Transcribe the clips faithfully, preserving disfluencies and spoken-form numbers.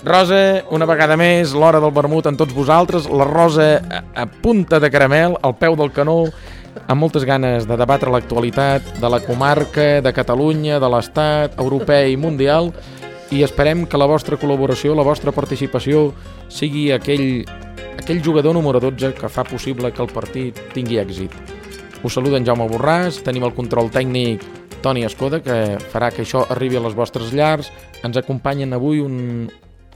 Rosa, una vegada més, l'hora del vermut amb tots vosaltres, la Rosa a, a punta de caramel, al peu del canó, amb moltes ganes de debatre l'actualitat de la comarca, de Catalunya, de l'Estat, europeu i mundial, i esperem que la vostra col·laboració, la vostra participació sigui aquell, aquell jugador número dotze que fa possible que el partit tingui èxit. Us saluda en Jaume Borràs, tenim el control tècnic Toni Escoda, que farà que això arribi a les vostres llars. Ens acompanyen avui un,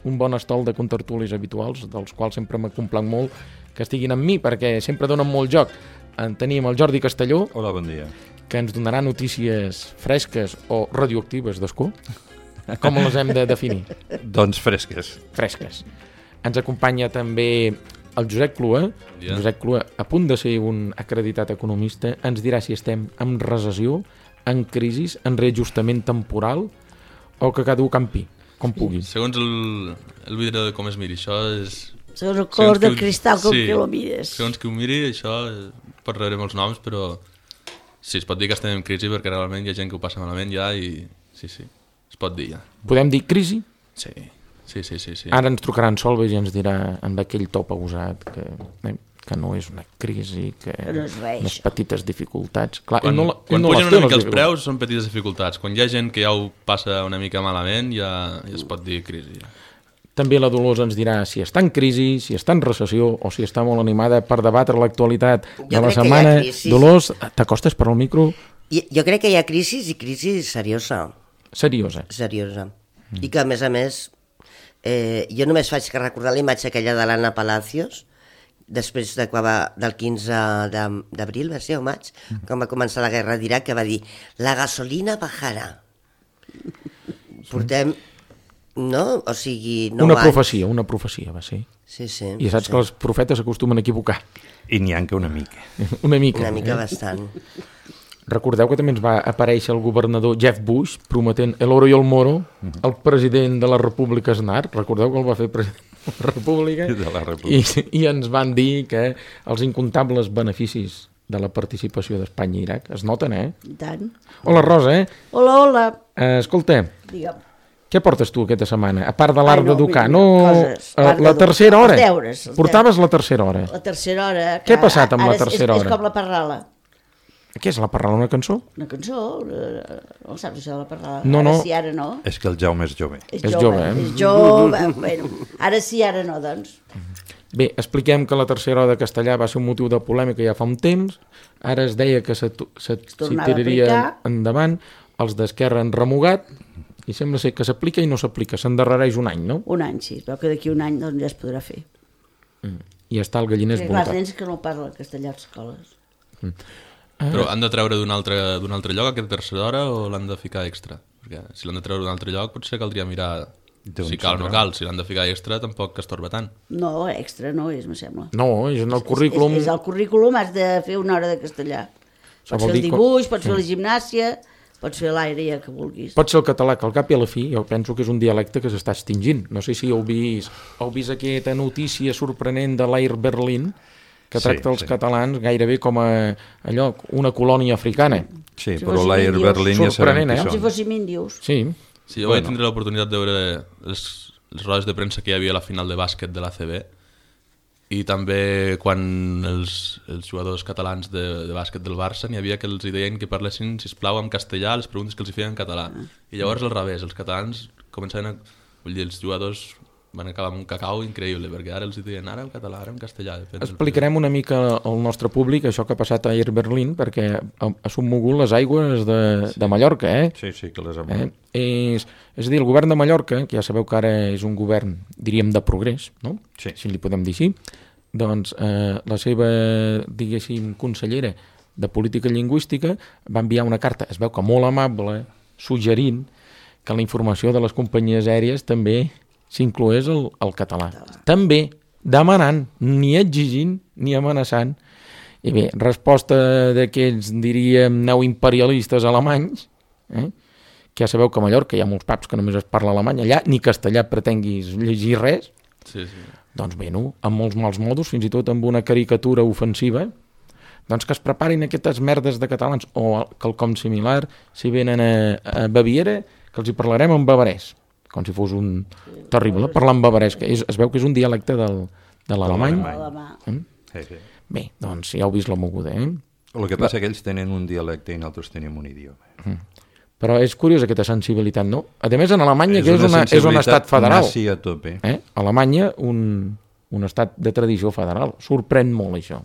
un bon estol de contertulis habituals, dels quals sempre m'ha complat molt que estiguin amb mi, perquè sempre donen molt joc. En tenim el Jordi Castelló. Hola, bon dia. Que ens donarà notícies fresques o radioactives d'escó. Com les hem de definir? Doncs fresques. Fresques. Ens acompanya també el Josep Clua. Yeah. Josep Clua, a punt de ser un acreditat economista, ens dirà si estem en recessió, en crisi, en reajustament temporal o que cada un campi, com pugui. Segons el, el vidre de com es miri, això és... Segons el color del cristal com sí, que lo mires. Segons que ho miri, això pot rebre molts noms, però sí, es pot dir que estem en crisi perquè realment hi ha gent que ho passa malament ja i sí, sí, es pot dir ja. Podem dir crisi? Sí, sí, sí, sí, sí. Ara ens trucarà en Solveig i ens dirà amb aquell to pausat que, que no és una crisi, que no és res, unes petites dificultats. Clar, quan no, quan no pugen una mica els preus són petites dificultats. Quan hi ha gent que ja ho passa una mica malament ja, ja es pot dir crisi. Ja. També la Dolors ens dirà si està en crisi, si està en recessió o si està molt animada per debatre l'actualitat de la setmana. Dolors, t'acostes per al micro? Jo, jo crec que hi ha crisi i crisi seriosa. Seriosa. Seriosa. Mm. I que, a més a més, eh, jo només faig que recordar la imatge aquella de l'Anna Palacios, després de, del quinze d'abril, va ser o maig, mm. quan va començar la guerra d'Iraq, que va dir la gasolina bajarà. Portem, no? O sigui, nou una anys. profecia, una profecia va ser. Sí, sí. I saps sí. que els profetes s'acostumen a equivocar. I n'hi ha que una mica. Una mica. Una mica eh? bastant. Recordeu que també ens va aparèixer el governador Jeff Bush prometent el oro i el moro al president de la República Aznar. Recordeu que el va fer president de la República? De la República. I, i ens van dir que els incomptables beneficis de la participació d'Espanya i Iraq es noten, eh? I tant. Hola, Rosa, eh? Hola, hola. Eh, escolta, digue'm. Què portes tu aquesta setmana? A part de l'art no, d'educar, mira, no... Coses, uh, la tercera hora. Els deures. Els Portaves deures. la tercera hora. La tercera hora. Què ha passat amb la tercera és, hora? És com la parrala. Què és la parrala, una cançó? Una cançó, no saps això de la parrala? No, no. Ara sí, ara no. És que el Jaume és jove. És, és jove, jove, eh? És jove, bueno, ara sí, ara no, doncs. Bé, expliquem que la tercera hora de castellà va ser un motiu de polèmica ja fa un temps, ara es deia que se, se, se tiraria endavant, els d'Esquerra han remugat, i sembla ser que s'aplica i no s'aplica, s'endarrereix un any, no? Un any, sí, es veu que d'aquí un any doncs, ja es podrà fer. Mm. I està el galliner esboltat. Clar, els nens que no parlen castellà a les escoles. Mm. Ah. Però han de treure d'un altre, d'un altre lloc aquesta tercera hora o l'han de ficar extra? Perquè si l'han de treure d'un altre lloc potser caldria mirar si cal o no cal. Si l'han de ficar extra tampoc que estorba tant. No, extra no és, me sembla. No, és en el currículum... És, és, és el currículum, has de fer una hora de castellà. Pots fer el dibuix, pots fer la gimnàsia, pots fer l'aire ja que vulguis. Pot ser el català, que al cap i a la fi jo penso que és un dialecte que s'està extingint. No sé si heu vist, heu vist aquesta notícia sorprenent de l'Air Berlin, que tracta sí, els sí. catalans gairebé com a allò, una colònia africana. Sí, si però l'Air Berlin ja sabem eh? qui són. Si fóssim índios. Sí. Sí, jo bueno. vaig tindre l'oportunitat de veure les, les rodes de premsa que hi havia a la final de bàsquet de l'A C B i també quan els, els jugadors catalans de, de bàsquet del Barça n'hi havia que els deien que parlessin, sisplau, en castellà les preguntes que els feien en català. I llavors al revés, els catalans començaven a... Vull dir, els jugadors van acabar amb un cacau increïble, perquè ara els diuen ara en català, ara en castellà. Explicarem una mica al nostre públic això que ha passat a Air Berlin, perquè ha submogut les aigües de, sí. de Mallorca, eh? Sí, sí, que les ha eh? És, és a dir, el govern de Mallorca, que ja sabeu que ara és un govern, diríem, de progrés, no? Sí. Si li podem dir així, doncs eh, la seva, diguéssim, consellera de Política Lingüística va enviar una carta, es veu que molt amable, suggerint que la informació de les companyies aèries també s'incloés el, el català. També demanant, ni exigint ni amenaçant. I bé, resposta d'aquests, diríem, neoimperialistes alemanys, eh? que ja sabeu que a Mallorca hi ha molts paps que només es parla alemany, allà ni castellà pretenguis llegir res, sí, sí. Doncs bé, no? Amb molts mals modos, fins i tot amb una caricatura ofensiva, doncs que es preparin aquestes merdes de catalans, o quelcom similar, si venen a, a Baviera, que els hi parlarem en bavarès. com si fos un terrible, parlant bavaresc. Es, es veu que és un dialecte del, de l'alemany. Mm? Sí, sí. Bé, doncs ja heu vist la moguda, eh? El que passa és que ells tenen un dialecte i nosaltres tenim un idioma. Mm. Però és curiós aquesta sensibilitat, no? A més, en Alemanya, és que és, una, és un estat federal. Nazi a tope. Eh? Alemanya, un, un estat de tradició federal. Sorprèn molt, això.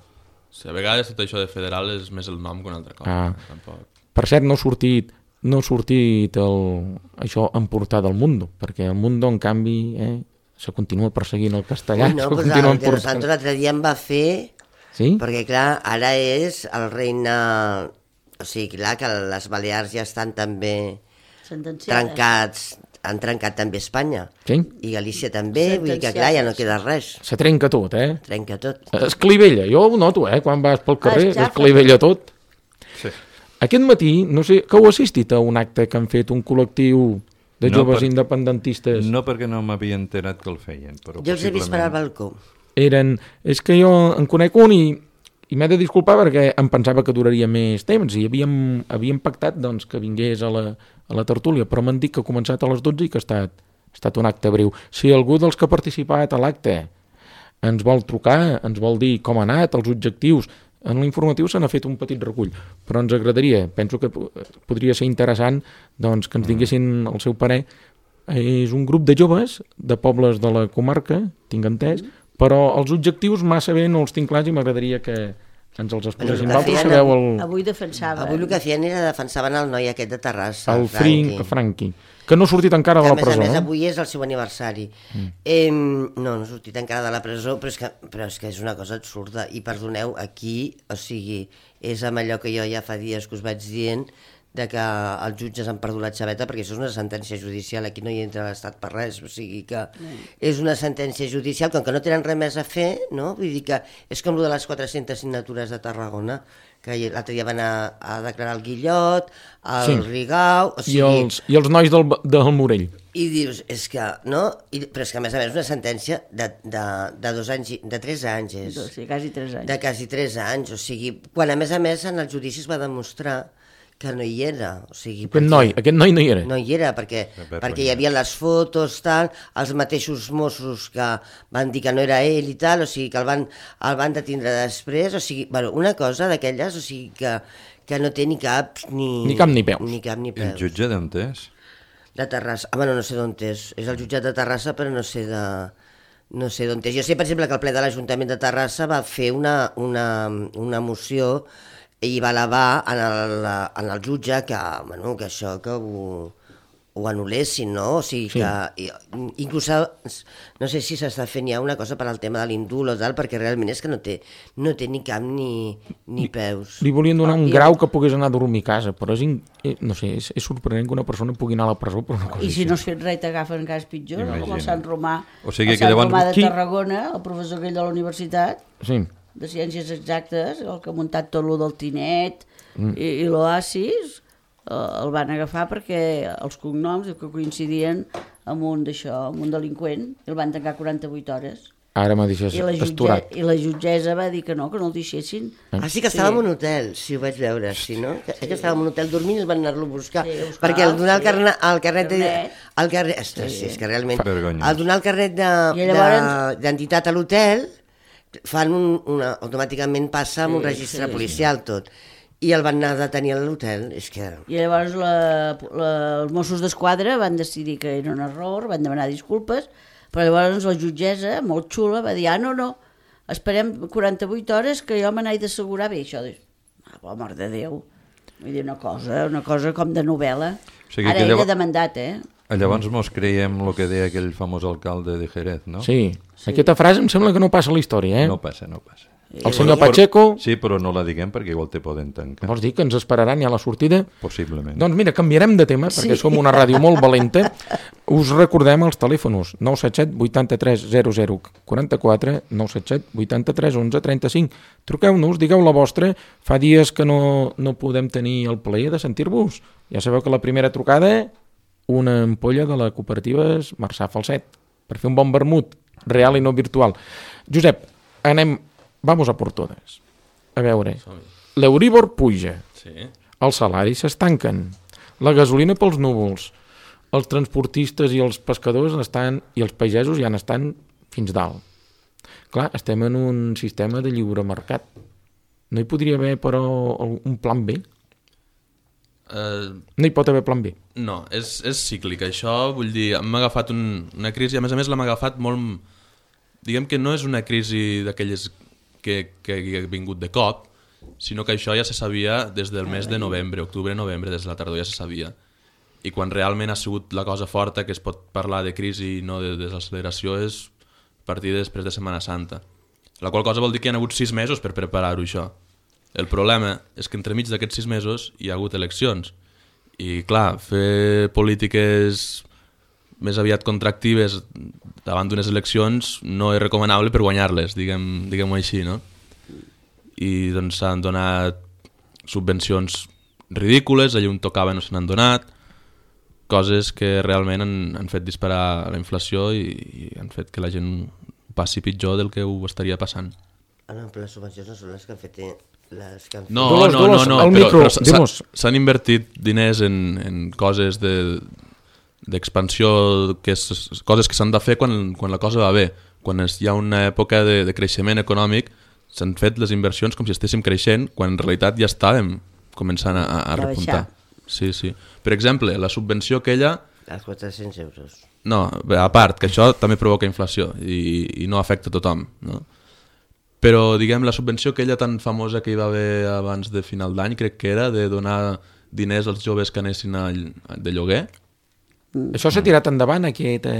Sí, a vegades tot això de federal és més el nom que una altra cosa. Ah. Tampoc. Per cert, no ha sortit, no ha sortit el, això en portada del Mundo, perquè el Mundo, en canvi, eh, se continua perseguint el castellà. Ui, no, pues el de Los Santos l'altre dia em va fer... Sí? Perquè, clar, ara és el regne... O sigui, clar, que les Balears ja estan també trencats, han trencat també Espanya. Sí? I Galícia també, vull dir que, clar, ja no queda res. Se trenca tot, eh? Trenca tot. Es clivella, jo ho noto, eh? Quan vas pel carrer, Ah, es clivella tot. Sí. Aquest matí, no sé, que heu assistit a un acte que han fet un col·lectiu de No, joves per- independentistes? No perquè no m'havia enterat que el feien, però Jo els he vist per al balcó. Eren... És que jo en conec un i, i m'he de disculpar perquè em pensava que duraria més temps i havíem, havíem pactat doncs, que vingués a la, a la tertúlia, però m'han dit que ha començat a les dotze i que ha estat, ha estat un acte breu. Si algú dels que ha participat a l'acte ens vol trucar, ens vol dir com ha anat, els objectius, en l'informatiu se n'ha fet un petit recull, però ens agradaria, penso que podria ser interessant doncs, que ens tinguessin el seu parer. És un grup de joves de pobles de la comarca, tinc entès, però els objectius massa bé no els tinc clars i m'agradaria que ens els expliquessin. Bueno, Vosaltres feien- sabeu el, Avui defensava. Avui el que feien era defensaven el noi aquest de Terrassa, el Franqui. Franqui, Franqui, que no ha sortit encara Que, de a la més presó. a més, no? avui és el seu aniversari. Mm. Eh, no, no ha sortit encara de la presó, però és, que, però és que és una cosa absurda. I perdoneu, aquí, o sigui, és amb allò que jo ja fa dies que us vaig dient, de que els jutges han perdut la xaveta, perquè això és una sentència judicial, aquí no hi entra l'Estat per res, o sigui que mm. és una sentència judicial, com que no tenen res més a fer, no? Vull dir que és com el de les quatre-centes signatures de Tarragona, que l'altre dia van a, a declarar el Guillot, el Sí. Rigau... O I, sigui, els, I els nois del, del Morell. I dius, és que, no? I, però és que a més a més una sentència de, de, de dos anys, i- de tres anys és. Sí, quasi tres anys. De quasi tres anys, o sigui, quan a més a més en els judicis va demostrar que no hi era, o sigui... Aquest noi, aquest noi no hi era. No hi era, perquè, vergonya. perquè hi havia les fotos, tal, els mateixos Mossos que van dir que no era ell i tal, o sigui, que el van, el van detindre després, o sigui, bueno, una cosa d'aquelles, o sigui, que, que no té ni cap ni... Ni cap ni peus. Ni cap ni El peus. jutge d'on és? De Terrassa. Ah, bueno, no sé d'on és. És el jutjat de Terrassa, però no sé de... No sé d'on és. Jo sé, per exemple, que el ple de l'Ajuntament de Terrassa va fer una, una, una moció i va elevar en el, en el jutge que, bueno, que això que ho, ho anul·lessin, no? O sigui Sí. que... i- Inclús, no sé si s'està fent ja una cosa per al tema de l'indult o tal, perquè realment és que no té, no té ni cap ni, ni peus. Li volien donar un I- grau que pogués anar a dormir a casa, però és, in, eh, no sé, és, és sorprenent que una persona pugui anar a la presó per una cosa I si així. no has fet res t'agafen cas pitjor, no? Com el Imagina't. Sant Romà. O sigui el que Sant llavors- Romà de Qui- Tarragona, el professor aquell de la universitat, Sí. de Ciències Exactes, el que ha muntat tot lo del Tinet mm. i, i l'Oasis, eh, el van agafar perquè els cognoms que coincidien amb un d'això, amb un delinqüent, i el van tancar quaranta-vuit hores. Ara m'ha deixat I la, jutge, esturat. I la jutgessa va dir que no, que no el deixessin. Ah, sí que estava en un hotel, sí, ho vaig veure, sí, no? Que, sí. que estava en un hotel dormint i el van anar-lo a buscar. Sí, a buscar, perquè al donar el, sí. carna, el carnet... De, Carnet. el carnet ostres, sí. és que realment... Vergonyós. Al donar el carnet I de- llavors- de- d'entitat a l'hotel, fan un, una, automàticament passa amb un Sí, registre sí, policial tot. I el van anar a detenir a l'hotel, és que... I llavors la, la, els Mossos d'Esquadra van decidir que era un error, van demanar disculpes, però llavors la jutgessa, molt xula, va dir, ah, no, no, esperem quaranta-vuit hores que jo me n'he d'assegurar bé, això. Ah, per amor de Déu. Vull dir, una cosa, una cosa com de novel·la. O sigui Ara que ell llavors- ha demandat, eh? Llavors mos creiem el que deia aquell famós alcalde de Jerez, no? Sí. sí. Aquesta frase em sembla que no passa a la història, eh? No passa, no passa. El senyor Pacheco... Sí, però no la diguem perquè igual te poden tancar. Vols dir que ens esperaran ja a la sortida? Possiblement. Doncs mira, canviarem de tema, perquè som una ràdio molt valenta. Us recordem els telèfonos nou set set vuitanta-tres zero zero quaranta-quatre, nou set set vuitanta-tres onze trenta-cinc. Truqueu-nos, digueu la vostra. Fa dies que no, no podem tenir el plaer de sentir-vos. Ja sabeu que la primera trucada, una ampolla de la cooperativa Marçà Falset, per fer un bon vermut, real i no virtual. Josep, anem... Vamos a por todas. A veure, l'Euríbor puja, Sí. els salaris s'estanquen, la gasolina pels núvols, els transportistes i els pescadors estan, i els pagesos ja n'estan fins dalt. Clar, estem en un sistema de lliure mercat. No hi podria haver, però, un plan B? Uh, no hi pot haver plan B? No, és, és cíclic. Això, vull dir, m'ha agafat un, una crisi, a més a més l'hem agafat molt... Diguem que no és una crisi d'aquelles que, que ha vingut de cop, sinó que això ja se sabia des del mes de novembre, octubre-novembre, des de la tardor ja se sabia. I quan realment ha sigut la cosa forta, que es pot parlar de crisi i no de desacceleració, és a partir després de Setmana Santa. La qual cosa vol dir que hi ha hagut sis mesos per preparar-ho, això. El problema és que entremig d'aquests sis mesos hi ha hagut eleccions. I, clar, fer polítiques més aviat contractives davant d'unes eleccions no és recomanable per guanyar-les, diguem, diguem-ho així, no? I doncs s'han donat subvencions ridícules, allà on tocava no se n'han donat, coses que realment han, han fet disparar la inflació i, i han fet que la gent passi pitjor del que ho estaria passant. Ah, no, però les subvencions no són les que han fet... Les que han fet... No, Dolors, no, Dolors, no, no, el però, micro, però s'han invertit diners en, en coses de d'expansió, que és, coses que s'han de fer quan, quan la cosa va bé. Quan es, hi ha una època de, de creixement econòmic, s'han fet les inversions com si estéssim creixent, quan en realitat ja estàvem començant a, a repuntar. Sí, sí. Per exemple, la subvenció aquella... Els quatre-cents euros. No, a part, que això també provoca inflació i, i no afecta a tothom, no? Però, diguem, la subvenció aquella tan famosa que hi va haver abans de final d'any, crec que era de donar diners als joves que anessin a, de lloguer. Mm. Això s'ha tirat endavant, aquesta,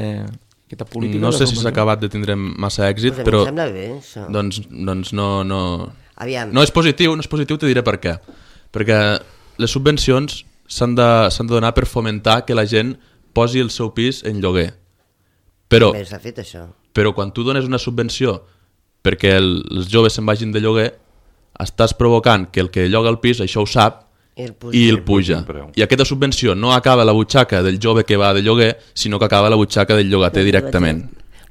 aquesta política? No sé si s'ha acabat de tindre massa èxit, pues però... Em sembla bé, això. Doncs, doncs no, no... Aviam. No és positiu, no és positiu, te diré per què. Perquè les subvencions s'han de, s'han de donar per fomentar que la gent posi el seu pis en lloguer. Però, Bé, s'ha fet això. però quan tu dones una subvenció perquè el, els joves se'n vagin de lloguer, estàs provocant que el que lloga el pis això ho sap I el puja. i el puja. I aquesta subvenció no acaba a la butxaca del jove que va de lloguer, sinó que acaba a la butxaca del llogater directament.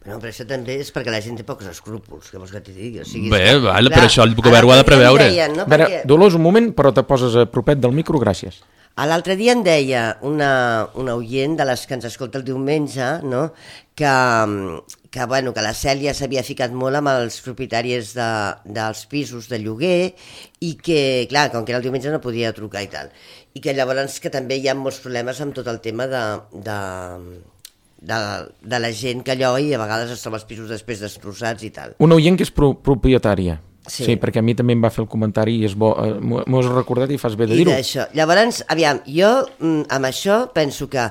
No, però això també és perquè la gent té pocs escrúpols, que vols que t'hi digui. O sigui, Bé, que, vale, clar, però això el govern ho ha de preveure. Deien, no? A veure, Perquè... Dolors, un moment, però te poses a propet del micro, gràcies. A l'altre dia em deia una, una oient de les que ens escolta el diumenge, no? que, que, bueno, que la Cèlia s'havia ficat molt amb els propietaris de, dels pisos de lloguer i que, clar, com que era el diumenge no podia trucar i tal. I que llavors que també hi ha molts problemes amb tot el tema de... de De, de la gent que allò i a vegades es troba els pisos després destrossats i tal. Una oient que és pro propietària. Sí. Sí, perquè a mi també em va fer el comentari i és bo, eh, m'ho has recordat i fas bé de I dir-ho. d'això. Llavors, aviam, jo mm, amb això penso que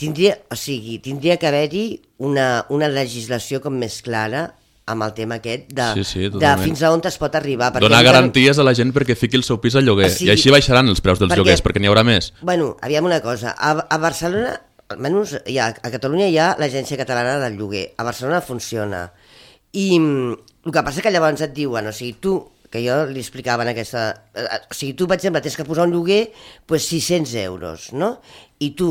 tindria, o sigui, tindria que haver-hi una, una legislació com més clara amb el tema aquest de, Sí, sí, de totalment. fins a on es pot arribar. perquè Donar encara- garanties a la gent perquè fiqui el seu pis al lloguer. O sigui, I així baixaran els preus dels perquè- lloguers, perquè n'hi haurà més. Bueno, aviam una cosa, a, a Barcelona, almenys hi ha, a Catalunya hi ha l'Agència Catalana del Lloguer, a Barcelona funciona, i mm, el que passa que llavors et diuen, o sigui, tu, que jo li explicava en aquesta... O sigui, tu, per exemple, tens que posar un lloguer pues, sis-cents euros, no? I tu,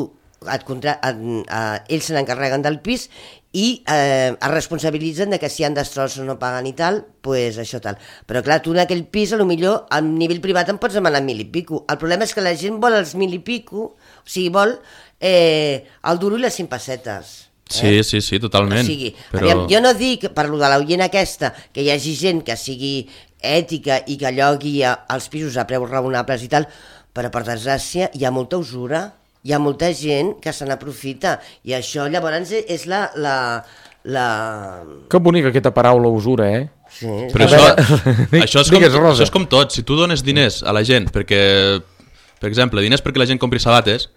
et contra... et, eh, ells se n'encarreguen del pis i eh, es responsabilitzen de que si hi ha destrossos no paguen i tal, pues això tal. Però clar, tu en aquell pis, a lo millor, a nivell privat em pots demanar mil i pico. El problema és que la gent vol els mil i pico, o sigui, vol eh, el duro i les cinc pessetes. Sí, sí, sí, totalment. O sigui, però... aviam, jo no dic, per lo de l'oient aquesta, que hi hagi gent que sigui ètica i que llogui a, als pisos a preus raonables i tal, però per desgràcia hi ha molta usura, hi ha molta gent que se n'aprofita, i això llavors és la... la, la... Que bonica aquesta paraula usura, eh? Sí, Però A això, veure, això, és com, digues, Rosa. això és com tot. Si tu dones diners a la gent perquè, per exemple, diners perquè la gent compri sabates,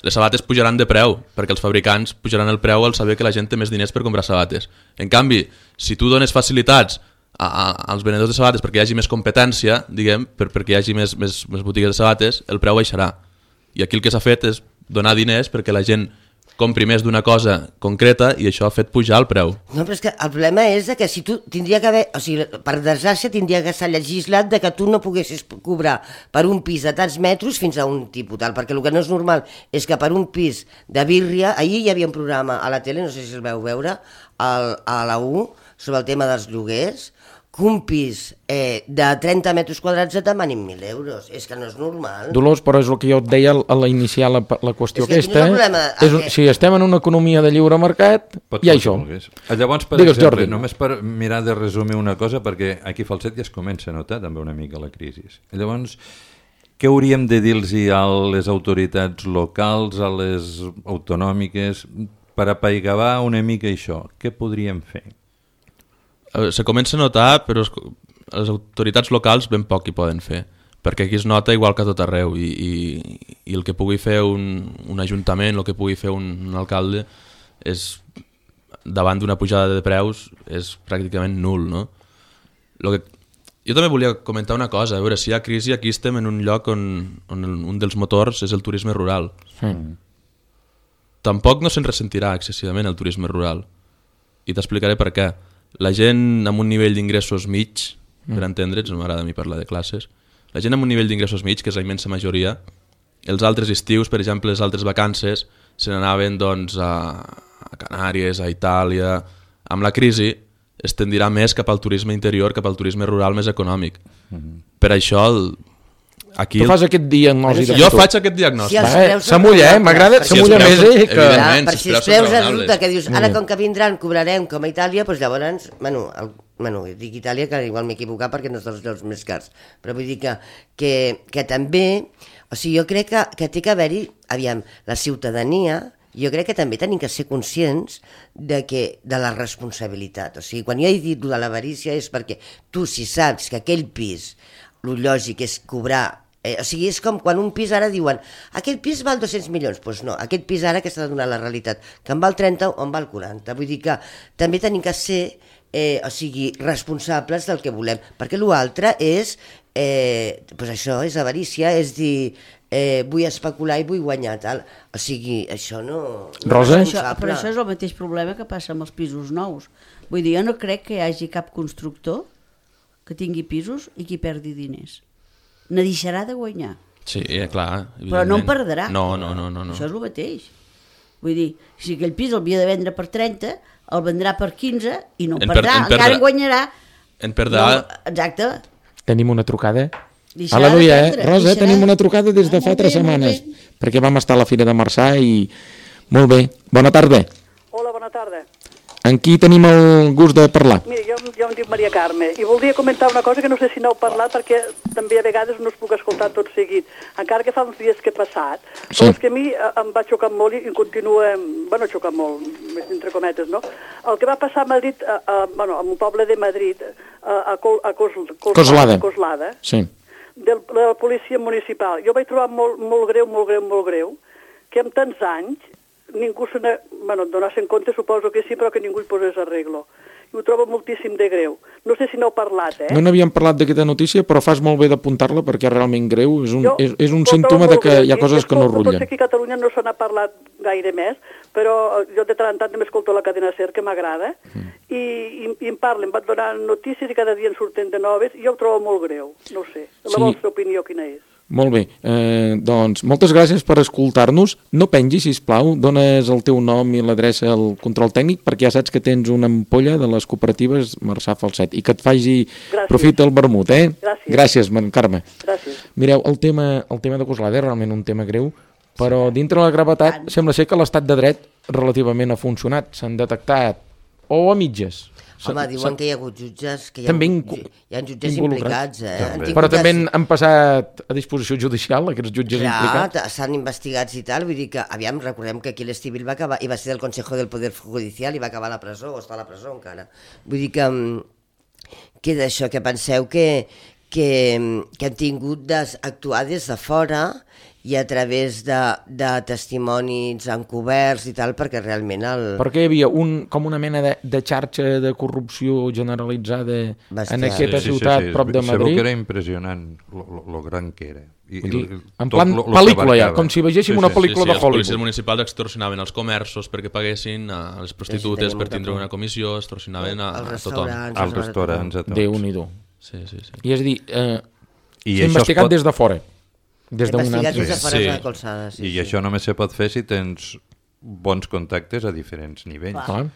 les sabates pujaran de preu, perquè els fabricants pujaran el preu al saber que la gent té més diners per comprar sabates. En canvi, si tu dones facilitats a, a, als venedors de sabates perquè hi hagi més competència, diguem, per, perquè hi hagi més, més, més botigues de sabates, el preu baixarà. I aquí el que s'ha fet és donar diners perquè la gent compri més d'una cosa concreta i això ha fet pujar el preu. No, però és que el problema és que si tu tindria que haver, o sigui, per desgràcia tindria que estar legislat de que tu no poguessis cobrar per un pis de tants metres fins a un tipus tal, perquè el que no és normal és que per un pis de birria, ahir hi havia un programa a la tele, no sé si el veu veure, al, a la U, sobre el tema dels lloguers, que un pis eh, de trenta metres quadrats et demanin mil euros. És que no és normal. Dolors, però és el que jo et deia a la iniciar la, la qüestió És que aquesta. quin és el problema? És, Que- si estem en una economia de lliure mercat, Pots hi ha fer el això. que vulguis. Llavors, per Digues, exemple, Jordi. només per mirar de resumir una cosa, perquè aquí a Falset ja es comença a notar també una mica la crisi. Llavors, què hauríem de dir-los a les autoritats locals, a les autonòmiques, per apaigavar una mica això? Què podríem fer? Eh, Se comença a notar, però es- les autoritats locals ben poc hi poden fer, perquè aquí es nota igual que a tot arreu i, i, i el que pugui fer un, un ajuntament, el que pugui fer un, un alcalde és, davant d'una pujada de preus, és pràcticament nul, no? Lo que, jo també volia comentar una cosa, a veure, si hi ha crisi, aquí estem en un lloc on, on el, un dels motors és el turisme rural. Mm. Tampoc no se'n ressentirà excessivament el turisme rural. I t'explicaré per què. La gent amb un nivell d'ingressos mig, per entendre'ns, no m'agrada a mi parlar de classes, la gent amb un nivell d'ingressos mig, que és la immensa majoria, els altres estius, per exemple, les altres vacances, se n'anaven doncs, a, a Canàries, a Itàlia... Amb la crisi es tendirà més cap al turisme interior, cap al turisme rural més econòmic. Per això, el, aquí... Tu el- fas aquest diagnosi de Jo futur. faig aquest diagnòstic. Si els Va, eh, preus són s'amulla, eh? raonables, M'agrada, perquè s'amulla els més, preus eh? són- Que... evidentment. Per si si els els preus preus són resulta raonables. que dius, ara com que vindran cobrarem com a Itàlia, doncs llavors, bueno, el, bueno dic Itàlia que igual m'he equivocat perquè no és dels llocs més cars, però vull dir que, que, que també, o sigui, jo crec que, que té que haver-hi, aviam, la ciutadania, jo crec que també tenim que ser conscients de, que, de la responsabilitat. O sigui, quan jo he dit lo de l'avarícia és perquè tu, si saps que aquell pis, lo lògic és cobrar. Eh, o sigui, és com quan un pis ara diuen aquell pis val dos-cents milions, doncs pues no, aquest pis ara que s'ha de donar la realitat, que en val trenta o en val quaranta. Vull dir que també tenim que ser eh, o sigui, responsables del que volem, perquè l'altre és, eh, pues això és avarícia, és dir, eh, vull especular i vull guanyar tal. O sigui, això no... no Rosa? és Això, responsable. però això és el mateix problema que passa amb els pisos nous. Vull dir, jo no crec que hi hagi cap constructor que tingui pisos i qui perdi diners. Ne deixarà de guanyar, Sí, eh, clar. però no en evidentment. perdrà. No, no, no. no, no. Això és el mateix. Vull dir, si aquell pis el havia de vendre per trenta, el vendrà per quinze i no En en per- perdrà, en perdrà. encara en guanyarà. En perdrà... No, exacte. Tenim una trucada. Deixarà Aleluia, de eh? prendre, Rosa, deixarà. tenim una trucada des de Ah, fa molt tres bé, molt setmanes, bé. perquè vam estar a la Fira de Marçà i... Molt bé, bona tarda. Hola, bona tarda. En qui tenim el gust de parlar? Mira, jo, jo em dic Maria Carme i voldria comentar una cosa que no sé si n'heu parlat perquè també a vegades no es puc escoltar tot seguit, encara que fa uns dies que he passat. Sí. Però és que a mi eh, em va xocar molt i i continua, bueno, xocar molt, entre cometes, no? El que va passar a Madrid, a, a, bueno, a un poble de Madrid, a, a, Col, a Cos, Coslada, Coslada. Coslada Sí. del, de la policia municipal. Jo vaig trobar molt, molt greu, molt greu, molt greu, que en tants anys ningú se n'ha... Bueno, donar-se en compte suposo que sí, però que ningú hi posés arreglo. I ho trobo moltíssim de greu. No sé si n'heu parlat, eh? No n'havíem parlat d'aquesta notícia, però fas molt bé d'apuntar-la perquè és realment greu, és un, Jo és, és un ho trobo símptoma de molt que greu. hi ha I coses que no escolto, rullen. Potser aquí a Catalunya no se n'ha parlat gaire més, però jo de tant en tant també escolto la cadena SER, que m'agrada, mm. i, i, i em parlen, van donar notícies i cada dia en surten de noves, i jo ho trobo molt greu, no ho sé. La Sí. vostra opinió quina és? Molt bé, eh, doncs moltes gràcies per escoltar-nos. No pengis, sisplau, dones el teu nom i l'adreça al control tècnic perquè ja saps que tens una ampolla de les cooperatives Marçà Falset i que et faci Gràcies. profit el vermut, eh? Gràcies. Gràcies, man, Carme. Gràcies. Mireu, el tema, el tema de Coslada és realment un tema greu, però dintre la gravetat sembla ser que l'estat de dret relativament ha funcionat. S'han detectat, o a mitges. Home, S'han- diuen s'han- que hi ha hagut jutges, que hi ha, També hagut- incu- hi ha jutges involucrats. implicats, eh? També. Han tingut Però també des- han, han passat a disposició judicial, aquests jutges Clar, implicats. t- s'han investigats i tal, vull dir que, aviam, recordem que aquí l'Estivil va acabar, i va ser del Consejo del Poder Judicial i va acabar a la presó, o està a la presó encara. Vull dir que, mm, que d'això, que penseu que, que, mm, que han tingut d'actuar des de fora i a través de, de testimonis encoberts i tal, perquè realment el... Perquè hi havia un, com una mena de, de xarxa de corrupció generalitzada Bestial. en aquesta ciutat prop de Sabeu que Madrid. era impressionant lo, lo, lo gran que era. I, Vull dir, i- en tot plan lo- lo que pel·lícula ja, abarcava. com si veiéssim una pel·lícula sí, de els policies Hollywood. municipals extorsionaven els comerços perquè paguessin a les prostitutes tenim per molta tindre por. una comissió, extorsionaven a, Els a tothom. restaurants... Als restaurants, a tots. Déu-n'hi-do. Sí, sí, sí. I és a dir, eh, I s'ha això es investigat pot- des de fora. Des d'una Investigat des de altra... fora Sí. de la colzada, sí, I sí. això només se pot fer si tens bons contactes a diferents nivells. Clar.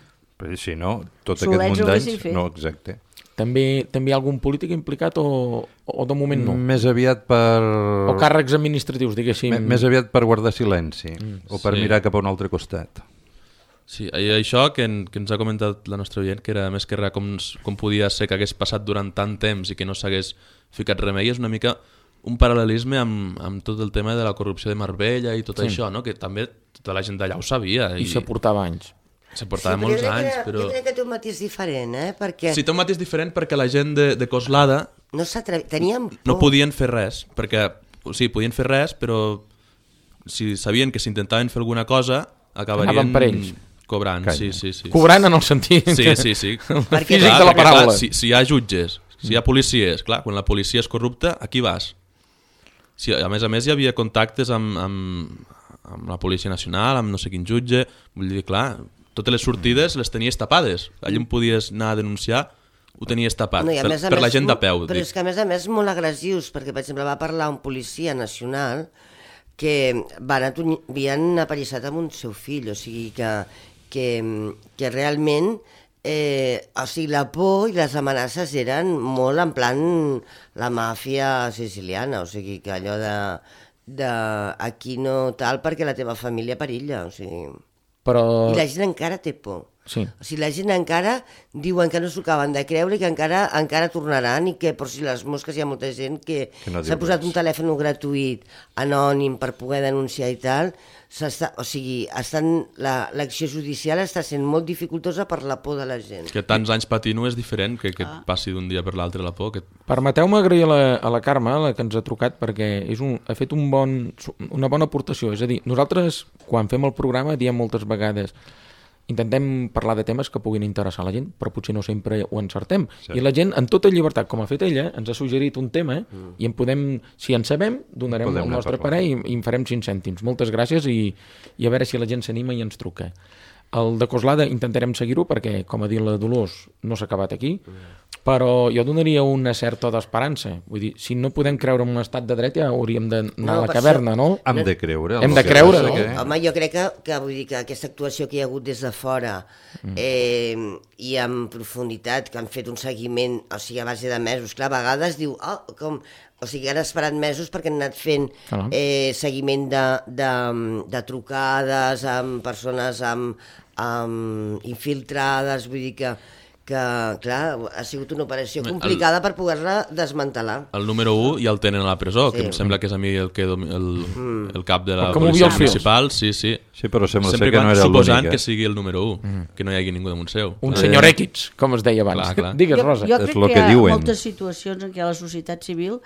Perquè si no, tot Solets aquest munt ho d'anys... haguéssim fet. No, exacte. També també hi ha algun polític implicat o, o de moment no? Més aviat per... O càrrecs administratius, diguéssim. M més aviat per guardar silenci mm. o per Sí. mirar cap a un altre costat. Sí, i això que, en, que ens ha comentat la nostra oient, que era més que res com, com podia ser que hagués passat durant tant temps i que no s'hagués ficat remei, és una mica un paral·lelisme amb, amb tot el tema de la corrupció de Marbella i tot Sí. això, no? Que també tota la gent d'allà ho sabia. I, I, I se portava anys. se portava però molts jo crec anys, que, però... Jo crec que té un matís diferent, eh? Perquè Sí, té un matís diferent perquè la gent de, de Coslada no s'atrevi... Teníem por. no podien fer res, perquè, o sigui, podien fer res, però si sabien que si intentaven fer alguna cosa, acabarien Anaven per ells. cobrant. Calla. Sí, sí, sí. Cobrant en el sentit Sí, que- sí, sí. Perquè- físic Clar, de la perquè, paraula. clar, si, si hi ha jutges, si hi ha policies, clar, quan la policia és corrupta, a qui vas? Si, a més a més, hi havia contactes amb, amb, amb la Policia Nacional, amb no sé quin jutge, vull dir, clar, totes les sortides les tenies tapades. Allà on podies anar a denunciar, ho tenies tapat, No, i a per, més a per la més, gent de peu. Però dic. és que a més a més molt agressius, perquè per exemple va parlar un policia nacional que van atuny... havien aparissat amb un seu fill, o sigui que, que, que realment eh, o sigui, la por i les amenaces eren molt en plan la màfia siciliana, o sigui que allò de, de aquí no tal perquè la teva família perilla, o sigui... Però... I la gent encara té por. Sí. O sigui, la gent encara diuen que no s'ho acaben de creure i que encara encara tornaran i que per si les mosques hi ha molta gent que, Que no diu s'ha posat res. un telèfon gratuït, anònim, per poder denunciar i tal. O sigui, estan, la, l'acció judicial està sent molt dificultosa per la por de la gent. Que tants anys patint-ho és diferent que, que et passi d'un dia per l'altre la por. Que... Permeteu-me agrair a la, a la Carme, la que ens ha trucat, perquè és un, ha fet un bon, una bona aportació. És a dir, nosaltres, quan fem el programa, diem moltes vegades intentem parlar de temes que puguin interessar a la gent, però potser no sempre ho encertem. Sí. I la gent, en tota llibertat, com ha fet ella, ens ha suggerit un tema mm. i en podem, si en sabem, donarem Podem el nostre parlar. parer i, i en farem cinc cèntims. Moltes gràcies i, i a veure si la gent s'anima i ens truca. El de Coslada intentarem seguir-ho perquè, com ha dit la Dolors, no s'ha acabat aquí, però jo donaria una certa d'esperança. Vull dir, si no podem creure en un estat de dret ja hauríem d'anar No, a la per caverna, això- no? Hem de creure. Hem el de que creure, passa no? que- Home, jo crec que, que, vull dir que aquesta actuació que hi ha hagut des de fora eh, i en profunditat, que han fet un seguiment, o sigui, a base de mesos, clar, a vegades diu, oh, com... O sigui, han esperat mesos perquè han anat fent Ah. eh, seguiment de, de, de trucades amb persones amb, amb infiltrades, vull dir que, que, clar, ha sigut una operació El- complicada per poder-la desmantelar. El número u ja el tenen a la presó, que Sí. em sembla que és a mi el, que, domi- el, el cap de la El que movia policia els fils. municipal. Sí, sí. Sí, però sembla Sempre ser que quan- no era suposant l'únic. que sigui el número u, que no hi hagi ningú damunt seu. Un Eh, senyor X, com es deia abans. Clar, clar. Digues, Rosa. Jo És crec lo que que hi ha diuen. moltes situacions en què a la societat civil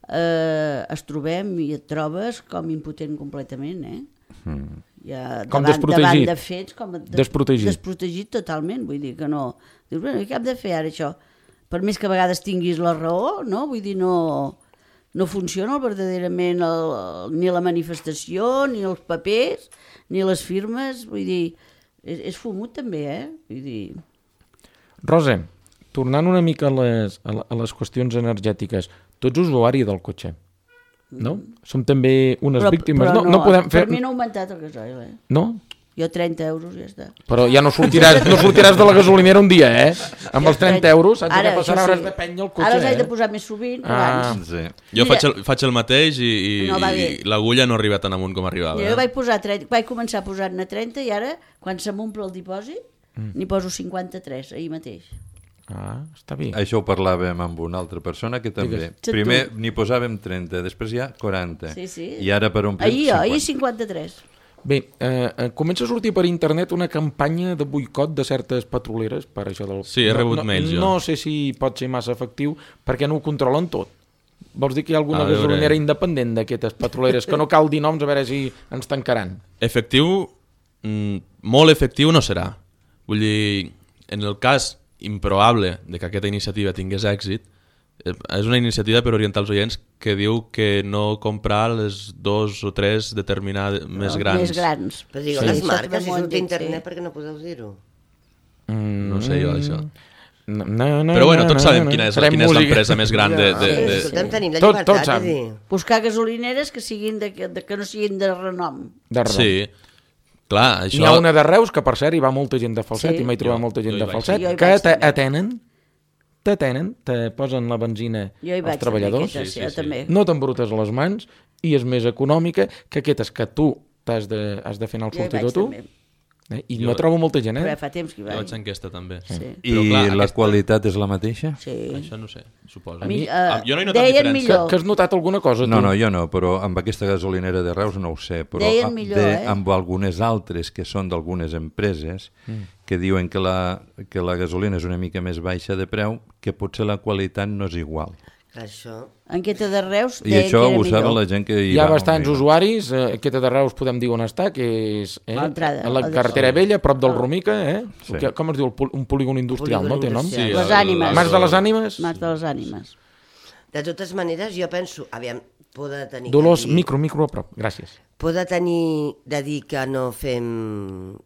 eh, es trobem i et trobes com impotent completament, eh? Mm. Ja, Com davant, desprotegit. davant de fets, com des, Desprotegit. desprotegit totalment, vull dir que no... Dius, bueno, què hem de fer ara això? Per més que a vegades tinguis la raó, no? Vull dir, no, no funciona verdaderament el, ni la manifestació, ni els papers, ni les firmes, vull dir, és, és fumut també, eh? Vull dir... Rosa, tornant una mica a les, a la- a les qüestions energètiques, tu ets usuari del cotxe, no? Som també unes víctimes. no, no, podem fer... Per mi no ha augmentat el gasoil, eh? No? Jo trenta euros ja està. Però ja no sortiràs, no sortiràs de la gasolinera un dia, eh? Amb els trenta euros saps Ara, què passarà? això Hauràs sí. de penya el cotxe, Ara els he de eh? posar més sovint que Ah. abans. Sí. Jo Mira. faig el, faig el mateix i, i, No va bé. i l'agulla no arriba tan amunt com arribava. Jo Eh? vaig, posar trenta, vaig començar a posar-ne trenta i ara, quan se m'omple el dipòsit, Mm. n'hi poso cinquanta-tres, ahir mateix. Ah, està bé. Això ho parlàvem amb una altra persona que també. Digues. Tu. Primer n'hi posàvem trenta, després ja quaranta. Sí, sí. I ara per omplir Ahir, cinquanta. ahir cinquanta-tres. Bé, eh, eh, comença a sortir per internet una campanya de boicot de certes petroleres per això del... Sí, he rebut no, mails, jo. No sé si pot ser massa efectiu perquè no ho controlen tot. Vols dir que hi ha alguna A veure. gasolinera independent d'aquestes petroleres que no cal dir noms a veure si ens tancaran? Efectiu, mm, molt efectiu no serà. Vull dir, en el cas improbable de que aquesta iniciativa tingués èxit, eh, és una iniciativa per orientar els oients que diu que no comprar les dos o tres determinades més grans. Més grans. Però digueu Sí, les això marques, també si m'ho han surt a dit, internet, sí. perquè no podeu dir-ho? Mm, No sé jo, això. No, no, no, Però bueno, tots no, sabem no, quina és, farem quina és música. l'empresa més gran de... de, Sí, de... escolta'm, tenim la Tot- llibertat tots de saben. dir... Buscar gasolineres que siguin de, de, que no siguin de renom. De raó. Sí, clar, això... N'hi ha una de Reus, que per cert hi va molta gent de falset, Sí. i m'he trobat Jo- molta gent jo hi de vaig. falset, Jo hi que vaig te- també. atenen t'atenen, te posen la benzina Jo hi als vaig treballadors, també, aquesta, sí, sí, sí. també. no t'embrutes a les mans i és més econòmica que aquestes que tu t'has de, has de fer anar el Jo hi vaig sortidor tu. també. Eh? I Jo- no trobo molta gent, Però eh? ja fa temps que hi Jo vaig vaig. a enquesta també. Sí. I Però, clar, la aquesta- qualitat és la mateixa? Sí. Això no ho sé, suposo. Mi- eh, Ah, jo no he notat deien diferència. Que, millor. que has notat alguna cosa, tu? No, no, jo no, però amb aquesta gasolinera de Reus no ho sé, però Deien a- millor, de, eh? amb algunes altres que són d'algunes empreses mm. que diuen que la, que la gasolina és una mica més baixa de preu, que potser la qualitat no és igual. Clar, això... Enquesta de Reus I deien això que era ho saben millor. la gent que hi Hi ha va. bastants on hi va. usuaris, eh, aquesta de Reus podem dir on està, que és eh, L'entrada, a la la de- carretera vella, a prop del Romica, eh? Sí. Que, com es diu? El pol- Un polígon industrial, Polígon no té nom? industrial. Sí, Les el- ànimes. Mas de les ànimes? Mas de les ànimes. De totes maneres, jo penso, aviam, poder tenir... Dolors, que dir, micro, micro a prop. Gràcies. Poder tenir de dir que no fem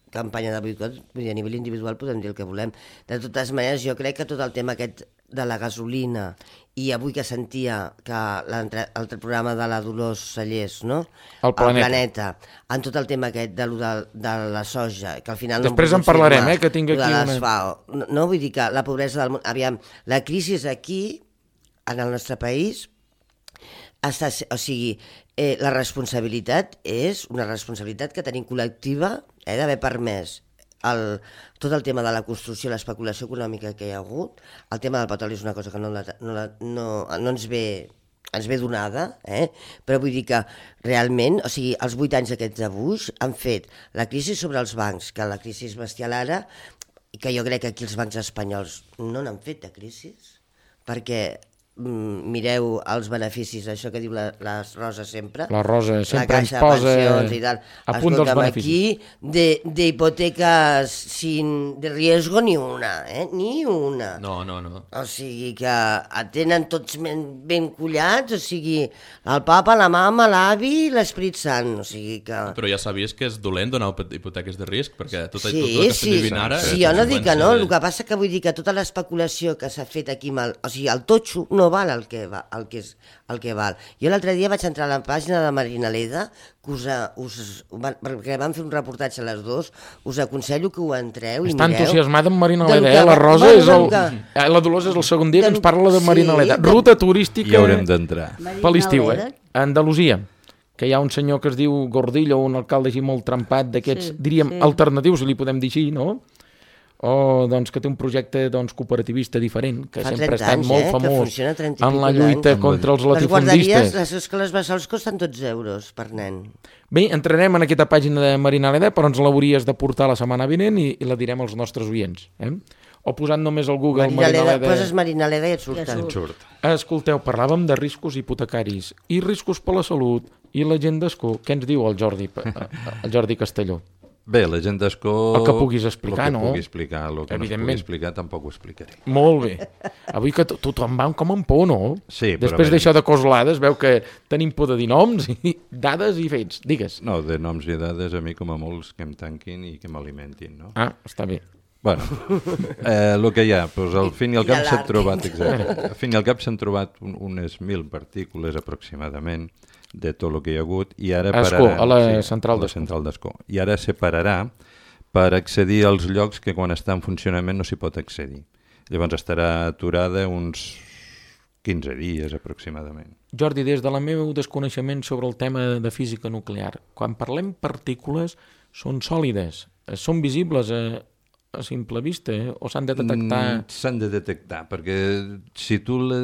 campanya de boicot, vull dir, a nivell individual podem dir el que volem. De totes maneres, jo crec que tot el tema aquest de la gasolina i avui que sentia que l'altre altre programa de la Dolors Sallés, no? El Planeta. El Planeta, en tot el tema aquest de, lo de, de la soja, que al final Després no en hem pogut parlarem, firmar, eh, que tinc lo de aquí una- les FAO. No, no, vull dir que la pobresa del món... Aviam, la crisi aquí, en el nostre país, està, o sigui, eh, la responsabilitat és una responsabilitat que tenim col·lectiva eh, d'haver permès el, tot el tema de la construcció, l'especulació econòmica que hi ha hagut. El tema del petroli és una cosa que no, la, no, la, no, no ens ve ens ve donada, eh? Però vull dir que realment, o sigui, els vuit anys aquests de Bush han fet la crisi sobre els bancs, que la crisi és bestial ara, i que jo crec que aquí els bancs espanyols no n'han fet de crisis, perquè mm, mireu els beneficis, això que diu la, la Rosa sempre. La Rosa sempre la ens Caixa de posa Pensions i tal. a punt dels Escolta'm, beneficis. aquí de, de hipotecas sin de riesgo ni una, eh? Ni una. No, no, no. O sigui que tenen tots ben, ben collats, o sigui, el papa, la mama, l'avi i l'Esprit Sant, o sigui que... Però ja sabies que és dolent donar hipoteques de risc, perquè tot, Sí, tot el que sí, estem vivint ara... sí, és jo no dic que no, conseqüència de- el que passa que vull dir que tota l'especulació que s'ha fet aquí, mal, o sigui, el totxo no val el que, va, el que, és, el que val. Jo l'altre dia vaig entrar a la pàgina de Marina Leda, que us, us, perquè vam fer un reportatge a les dues, us aconsello que ho entreu i Està mireu. entusiasmada amb Marina del Leda, que eh? La va- Rosa bueno, és el... del que- eh, La Dolors és el segon dia que del- ens parla de Marina sí, Leda. del- Ruta turística... I haurem d'entrar. Per l'estiu, eh? A Andalusia, que hi ha un senyor que es diu Gordillo, un alcalde així molt trempat, d'aquests, Sí, diríem, sí. alternatius, si li podem dir així, no? O doncs, que té un projecte doncs, cooperativista diferent, que Fa sempre ha trenta estat anys, molt eh, que famós funciona trenta i en la pico lluita d'anys. contra els Les guarderies, latifundistes. les escoles bressols costen dotze euros per nen. Bé, entrarem en aquesta pàgina de Marina Leda, però ens l'hauries de portar la setmana vinent i, i la direm als nostres oients. Eh? O posant només al Google Marina Marina, Leda, Leda... poses Marina Leda i et Ja surten. surt. Surt. Escolteu, parlàvem de riscos hipotecaris i riscos per la salut i la gent d'escó. Què ens diu el Jordi, el Jordi Castelló? Bé, la gent d'escó... El que puguis explicar, el que no? pugui explicar, el que no es pugui Evidentment. explicar tampoc ho explicaré. Molt bé. Avui que to- tothom va com en por, no? Sí, però Després bé. d'això de coslades, veu que tenim por de dir noms i dades i fets. Digues. No, de noms i dades a mi com a molts que em tanquin i que m'alimentin, no? Ah, està bé. Bueno, eh, el que hi ha, doncs al fin i al I cap de s'han l'arc. trobat, exacte, al fin i al cap s'han trobat un, unes mil partícules aproximadament de tot el que hi ha hagut i ara A Ascó, pararan, a la central a la d'Ascó. central d'Ascó. I ara separarà per accedir als llocs que quan està en funcionament no s'hi pot accedir. Llavors estarà aturada uns quinze dies aproximadament. Jordi, des de la meu desconeixement sobre el tema de física nuclear, quan parlem partícules, són sòlides, eh, són visibles a, a simple vista, eh? O s'han de detectar... Mm, S'han de detectar, perquè si tu la,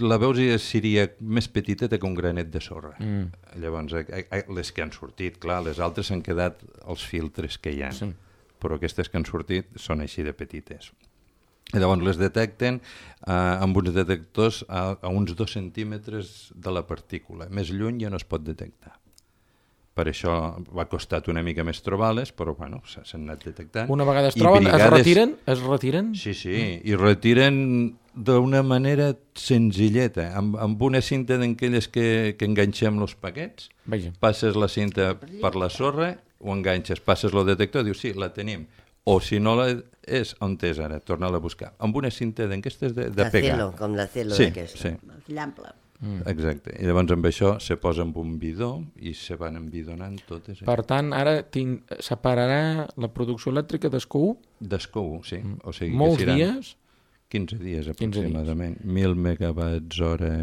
la veus i seria més petiteta que un granet de sorra. Mm. Llavors, eh, eh, les que han sortit, clar, les altres s'han quedat els filtres que hi ha, Sí. però aquestes que han sortit són així de petites. I llavors les detecten eh, amb uns detectors a, a uns dos centímetres de la partícula. Més lluny ja no es pot detectar. Per això va costat una mica més trobar-les, però bueno, s- s'han anat detectant. Una vegada es I troben, es brigades- retiren? Es retiren? Sí, sí, i retiren d'una manera senzilleta, amb, amb una cinta d'aquelles que, que enganxem els paquets, Vaja. passes la cinta per la sorra, ho enganxes, passes el detector, dius, sí, la tenim. O si no la és, on és ara? Torna-la a buscar. Amb una cinta d'aquestes de, de La pegar. celo, com la celo Sí, d'aquesta. sí, Llample. mm. exacte. I llavors amb això se posa amb un bidó i se van embidonant totes. Eh? Per tant, ara tinc, separarà la producció elèctrica d'Escó D'escou, sí. O sigui, molts que seran dies quinze dies quinze aproximadament, mil megawatts hora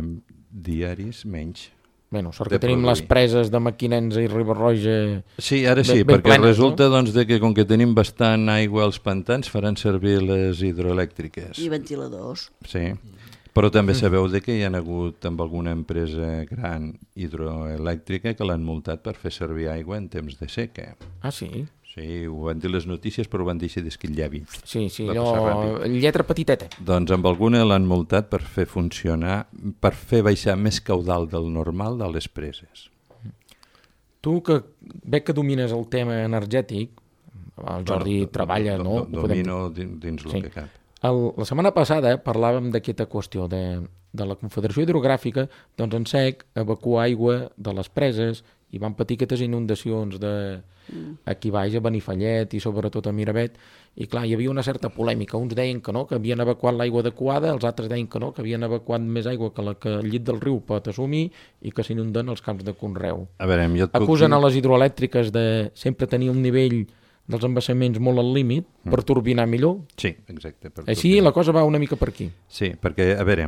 diaris menys. Bueno, sort que tenim les preses de Mequinensa i Riba-roja... Sí, ara sí, ben, ben perquè plenes, resulta no? doncs, de que com que tenim bastant aigua als pantans faran servir les hidroelèctriques. I ventiladors. Sí, però també sabeu de que hi ha hagut amb alguna empresa gran hidroelèctrica que l'han multat per fer servir aigua en temps de seca. Ah, sí? Sí, ho van dir les notícies, però ho van deixar d'esquitllavi. Sí, sí, Va passar allò... ràpid. Lletra petiteta. Doncs amb alguna l'han multat per fer funcionar, per fer baixar més caudal del normal de les preses. Tu, que veig que domines el tema energètic, el Jordi Bueno, treballa, do- no? do- Domino dins, dins el Sí. que cap. El, la setmana passada parlàvem d'aquesta qüestió de, de la Confederació Hidrogràfica, doncs en sec evacuar aigua de les preses i van patir aquestes inundacions de aquí baix a Benifallet i sobretot a Miravet, i clar, hi havia una certa polèmica. Uns deien que no, que havien evacuat l'aigua adequada, els altres deien que no, que havien evacuat més aigua que la que el llit del riu pot assumir i que s'inunden els camps de conreu. A veure, jo et puc Acusen dir- a les hidroelèctriques de sempre tenir un nivell dels embassaments molt al límit per turbinar millor. Sí, exacte. Per Així turbinar. la cosa va una mica per aquí. Sí, perquè, a veure,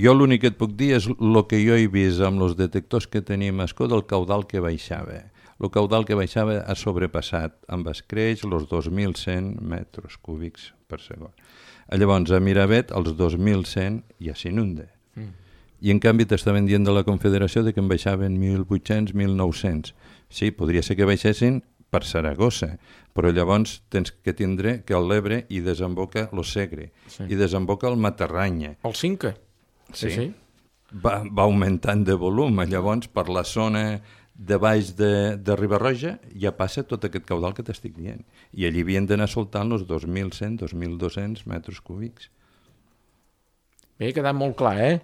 jo l'únic que et puc dir és el que jo he vist amb els detectors que tenim a Escó del caudal que baixava. El caudal que baixava ha sobrepassat amb escreix els dos mil cent metres cúbics per segon. Llavors, a Miravet, els dos mil cent ja s'inunda. Mm. I en canvi t'estaven dient de la Confederació de que en baixaven mil vuit-cents, mil nou-cents. Sí, podria ser que baixessin per Saragossa, però llavors tens que tindre que el l'Ebre hi desemboca el Segre, Sí. i desemboca el Matarranya. El Cinca. Sí. Sí, sí. Va, va augmentant de volum, llavors per la zona de baix de, de Riba-roja ja passa tot aquest caudal que t'estic dient, i allí havien d'anar soltant els dos mil cent, dos mil dos-cents metres cúbics. Bé, ha quedat molt clar, eh?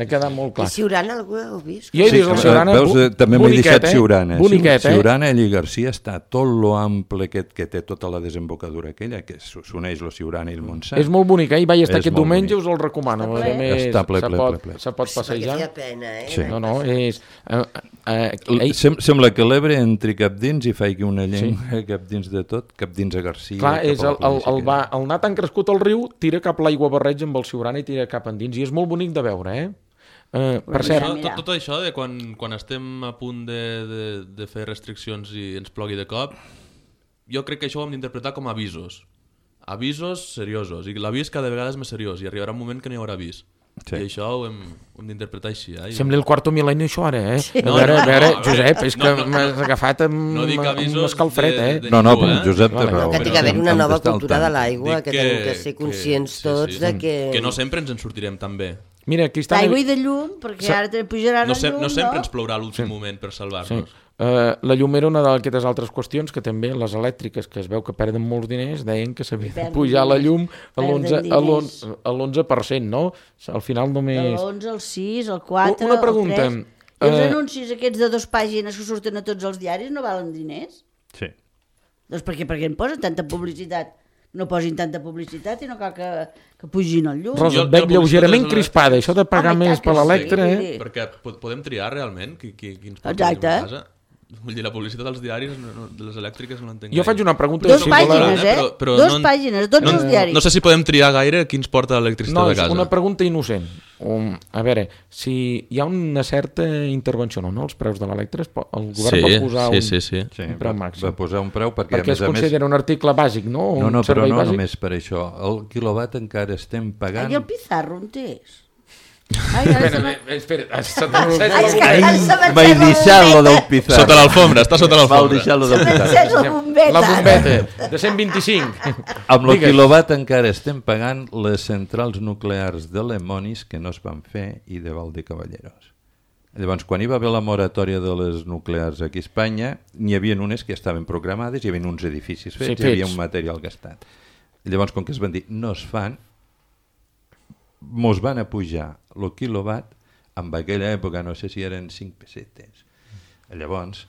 Ha quedat molt I clar. Siurana, algú ho heu vist? Jo he vist el eh, Siurana, veus, eh, també m'he boniquet, deixat eh? Siurana. Boniquet, eh? Siurana, allí Garcia, està tot lo ample que, que té tota la desembocadura aquella, que s'uneix la Siurana i el Montsant. És molt bonic, eh? Hi vaig estar És aquest molt diumenge, bonic. us el recomano. Està A ple. més, Està ple, se ple, pot, ple, ple. se pot Perquè passejar. feia pena, eh? Sí. No, no, és... Eh, eh, L- ell, Sem Sembla que l'Ebre entri cap dins i faci una llengua sí. cap dins de tot, cap dins a Garcia. clar, cap és a la el, el, el, província va, el anar tan crescut al riu, tira cap l'aigua barreig amb el Siurana i tira cap endins, i és molt bonic de veure, eh? Uh, per cert, Això, mira. tot, tot això de quan, quan estem a punt de, de, de fer restriccions i ens plogui de cop, jo crec que això ho hem d'interpretar com avisos. Avisos seriosos. I l'avís cada vegada és més seriós i arribarà un moment que n'hi haurà avís. Sí. I això ho hem, ho hem d'interpretar així. Eh? I- sembla el quarto mil·lenni això ara, eh? A No, veure, no, a veure, no, a veure, Josep, és no, que no, no. m'has agafat amb, No dic amb avisos un escalfred, de- eh? de- No, no, ningú, però eh? Josep té Vale. raó. Que té que haver Hem una nova d'estar al cultura de tant. l'aigua, Dic que tenim que ser conscients sí, tots sí. de que... Que no sempre ens en sortirem tan bé. Mira, aquí està... D'aigua i de llum, perquè Sa- ara te pujaran No, el se, llum, no sempre no? ens plourà a l'últim moment per Sí. salvar-nos. Uh, la llum era una d'aquestes altres qüestions que també les elèctriques, que es veu que perden molts diners, deien que s'havia de Perden pujar la diners, llum a perden l'onze a diners. l'onze a l'onze per cent, no? Al final De només... l'onze, el sis, el quatre, Una pregunta, el tres. I els eh, anuncis aquests de dos pàgines que surten a tots els diaris no valen diners? Sí. Doncs per què? Perquè en posen tanta publicitat. No posin tanta publicitat i no cal que, que pugin el llum. Rosa, Jo- et veig jo lleugerament publicitat crispada. Això de pagar Home, i més tant per que sí. l'electre, eh? Sí. Perquè po- podem triar realment qui, qui, quins portem Exacte. a casa. Vull dir, la publicitat dels diaris, no, no, de les elèctriques no l'entenc Jo faig una pregunta... Dos així, pàgines, de eh? però- però Dos no- pàgines, tots no, els diaris. No sé si podem triar gaire qui ens porta l'electricitat No, a és casa. una pregunta innocent. Um, a veure, si hi ha una certa intervenció no, no els preus de l'electre, es po- el govern Sí, va posar sí, un, sí, sí. Sí, un preu va, màxim. va posar un preu perquè, perquè a es més a més... considera un article bàsic, no? Un No, no, però servei no bàsic. només per això. El quilowatt encara estem pagant... Ai, el pizarro on és? Ai, ara se m'ha... Espera, espera, se Ai, és t'ha que ara se m'ha Vaig encès la deixar lo del bombeta. pizarro. Sota l'alfombra, està sota Vau l'alfombra. deixar lo del Se m'ha pizarro. encès la bombeta. La bombeta, de cent vint-i-cinc. Amb el Digues. quilowatt encara estem pagant les centrals nuclears de Lemonis que no es van fer i de Valdecavalleros. Llavors, quan hi va haver la moratòria de les nuclears aquí a Espanya, n'hi havia unes que estaven programades, hi havia uns edificis fets, Sí, hi havia fets. un material gastat. Llavors, com que es van dir no es fan, mos van a pujar el quilowatt, en aquella època no sé si eren cinc pessetes. Llavors,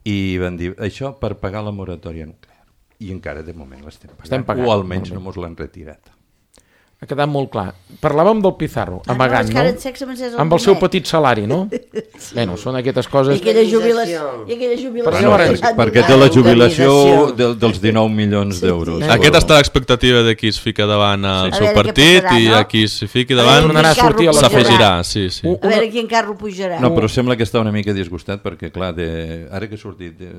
i van dir això per pagar la moratòria nuclear. I encara de moment l'estem pagant, Estem pagant, o almenys molt bé. no mos l'han retirat. Ha quedat molt clar. Parlàvem del Pizarro, amagant, no? no? És que ara en sexe m'encès el Amb el seu bonet. petit salari, no? Sí. Bueno, són aquestes I coses... aquella jubilació. I aquella jubilació. Però llavors, perquè, perquè té la jubilació de, dels dinou milions d'euros. Sí. Aquesta està l'expectativa de qui es fica davant al Sí. seu A veure què partit passarà, i no? a qui es fiqui A davant veure quin carro s'afegirà. Sí, sí. Un- A veure quin carro pujarà. No, però sembla que està una mica disgustat perquè, clar, de, ara que ha sortit, de,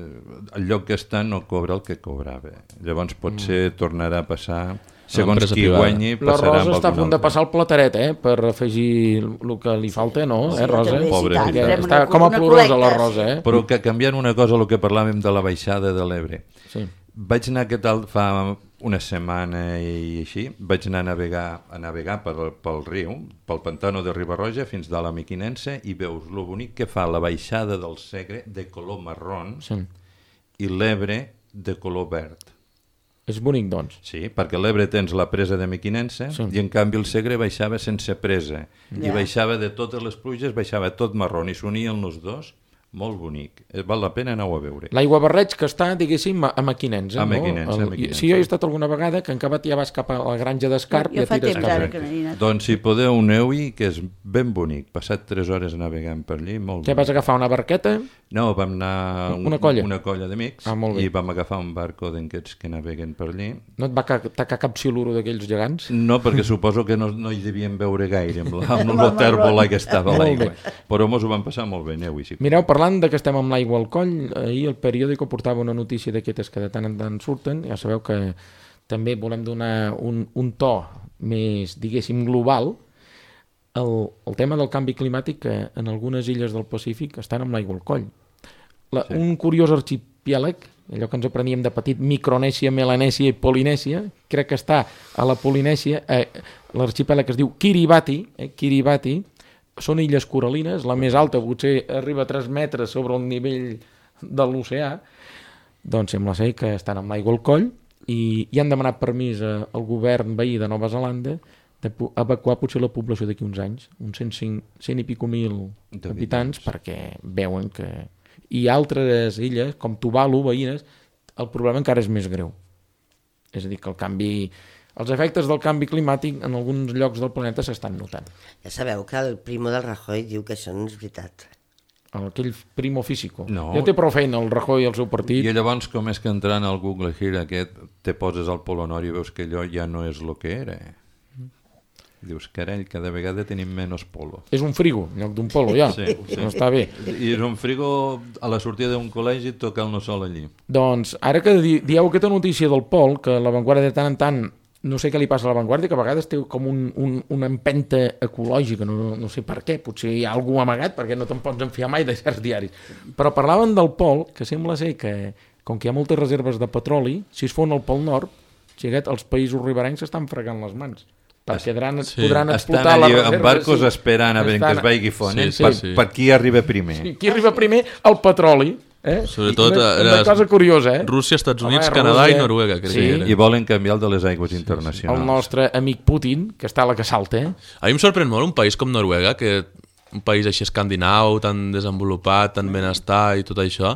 el lloc que està no cobra el que cobrava. Llavors potser tornarà a passar, segons L'empresa qui privada. guanyi, La passarà Rosa amb està a algun punt de altre. passar el plateret, eh? Per afegir el que li falta, no? Sí, Eh, Rosa? també, sí, Pobre, tant, perquè farem Està una- com a una plorosa la col·lecta, Rosa, sí. eh? Però que canviant una cosa, el que parlàvem de la baixada de l'Ebre. Sí. Vaig anar aquest tal fa una setmana i així, vaig anar a navegar, a navegar pel, pel riu, pel pantano de Riba-roja fins de la Miquinense i veus lo bonic que fa la baixada del Segre de color marrón Sí. i l'Ebre de color verd. És bonic, doncs. Sí, perquè a l'Ebre tens la presa de Miquinense Sí. i en canvi el Segre baixava sense presa i Ja. baixava de totes les pluges, baixava tot marró i s'unien els dos, molt bonic. Eh, Val la pena anar-ho a veure. L'aigua barreig que està, diguéssim, a Maquinensa, A no? Mequinensa, El- a Mequinensa. Sí, jo he estat alguna vegada que en acabat ja vas cap a la granja d'Escarp i Jo ja fa tires temps cap ara allà. que no hi he anat. Doncs si podeu aneu-hi, que és ben bonic. Passat tres hores navegant per allí, molt Què bonic. vas agafar, una barqueta? No, vam anar un, Una colla? una colla d'amics Ah, molt bé. i vam agafar un barco d'aquests que naveguen per allí. No et va ca- tacar cap siluro d'aquells gegants? No, perquè suposo que no, no hi devien veure gaire amb, la, amb Amb el el tèrbola que estava a Molt l'aigua. bé. Però mos ho vam passar molt bé, aneu-hi. Si Mireu, parlant de que estem amb l'aigua al coll, ahir el periòdico portava una notícia d'aquestes que de tant en tant surten. Ja sabeu que també volem donar un, un to més, diguéssim, global. El, el tema del canvi climàtic, que en algunes illes del Pacífic estan amb l'aigua al coll. La, sí. Un curiós arxipièlag, allò que ens apreníem de petit, Micronèsia, Melanèsia i Polinèsia, crec que està a la Polinèsia, eh, l'arxipèlag que es diu Kiribati, eh, Kiribati, són illes coralines, la més alta potser arriba a tres metres sobre el nivell de l'oceà, doncs sembla ser que estan amb l'aigua al coll i, i han demanat permís a, al govern veí de Nova Zelanda d'evacuar potser la població d'aquí uns anys, uns cent, cinc, cent i pico mil habitants, perquè veuen que... I altres illes, com Tuvalu, veïnes, el problema encara és més greu. És a dir, que el canvi... Els efectes del canvi climàtic en alguns llocs del planeta s'estan notant. Ja sabeu que el primo del Rajoy diu que això no és veritat. Aquell primo físico. No. Ja té prou feina el Rajoy i el seu partit. I llavors, com és que entrant al Google Here aquest, te poses al Polo Nord i veus que allò ja no és el que era. Dius, carai, cada vegada tenim menys polo. És un frigo, en lloc d'un polo, ja. Sí, sí. No està bé. I és un frigo a la sortida d'un col·legi tocant-lo sol allí. Doncs, ara que di dieu aquesta notícia del Pol, que la Vanguardia de tant en tant, no sé què li passa a la Vanguardia, que a vegades té com un, un, una empenta ecològica, no, no sé per què, potser hi ha algú amagat, perquè no te'n pots enfiar mai de certs diaris. Però parlaven del Pol, que sembla ser que, com que hi ha moltes reserves de petroli, si es fon al Pol Nord, xiquet, els països riberencs s'estan fregant les mans. Perquè podran, Sí. podran explotar Estan allí les amb reserves. barcos esperant a veure que es Estan- vagi fonent Sí, sí, per, sí. per qui arriba primer. Sí, qui arriba primer? El petroli. Eh? Sobretot una, era una cosa curiosa, eh? Rússia, Estats Home, Units, Canadà Rússia, i Noruega, crec sí. que era. I volen canviar el de les aigües internacionals. El nostre amic Putin, que està a la que salta, eh? A mi em sorprèn molt un país com Noruega, que un país així escandinau, tan desenvolupat, tan benestar i tot això,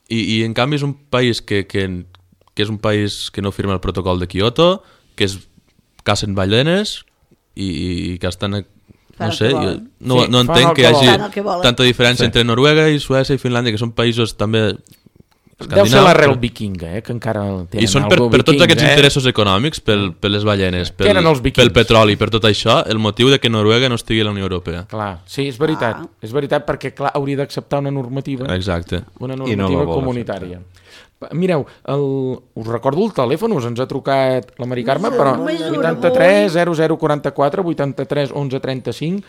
i, i en canvi és un país que, que, que és un país que no firma el protocol de Kyoto, que és cacen ballenes i, i que estan... Fan No el sé, que jo volen. no, Sí, no fan entenc el que que hi volen. hagi Fan el que volen. tanta diferència Sí. entre Noruega i Suècia i Finlàndia, que són països també Deu ser escandinaus, l'arrel però- vikinga, eh? Que encara tenen I són per, algo per tots vikings, aquests eh? interessos econòmics, pel, per les ballenes, pel, eren els vikings? pel petroli, per tot això, el motiu de que Noruega no estigui a la Unió Europea. Clar, sí, és veritat. Ah. És veritat perquè, clar, hauria d'acceptar una normativa, Exacte. una I no normativa la vol comunitària. Mireu, el, us recordo el telèfon, us ens ha trucat la Mari Carme, però Més un, vuitanta-tres zero zero quaranta-quatre vuitanta-tres onze trenta-cinc.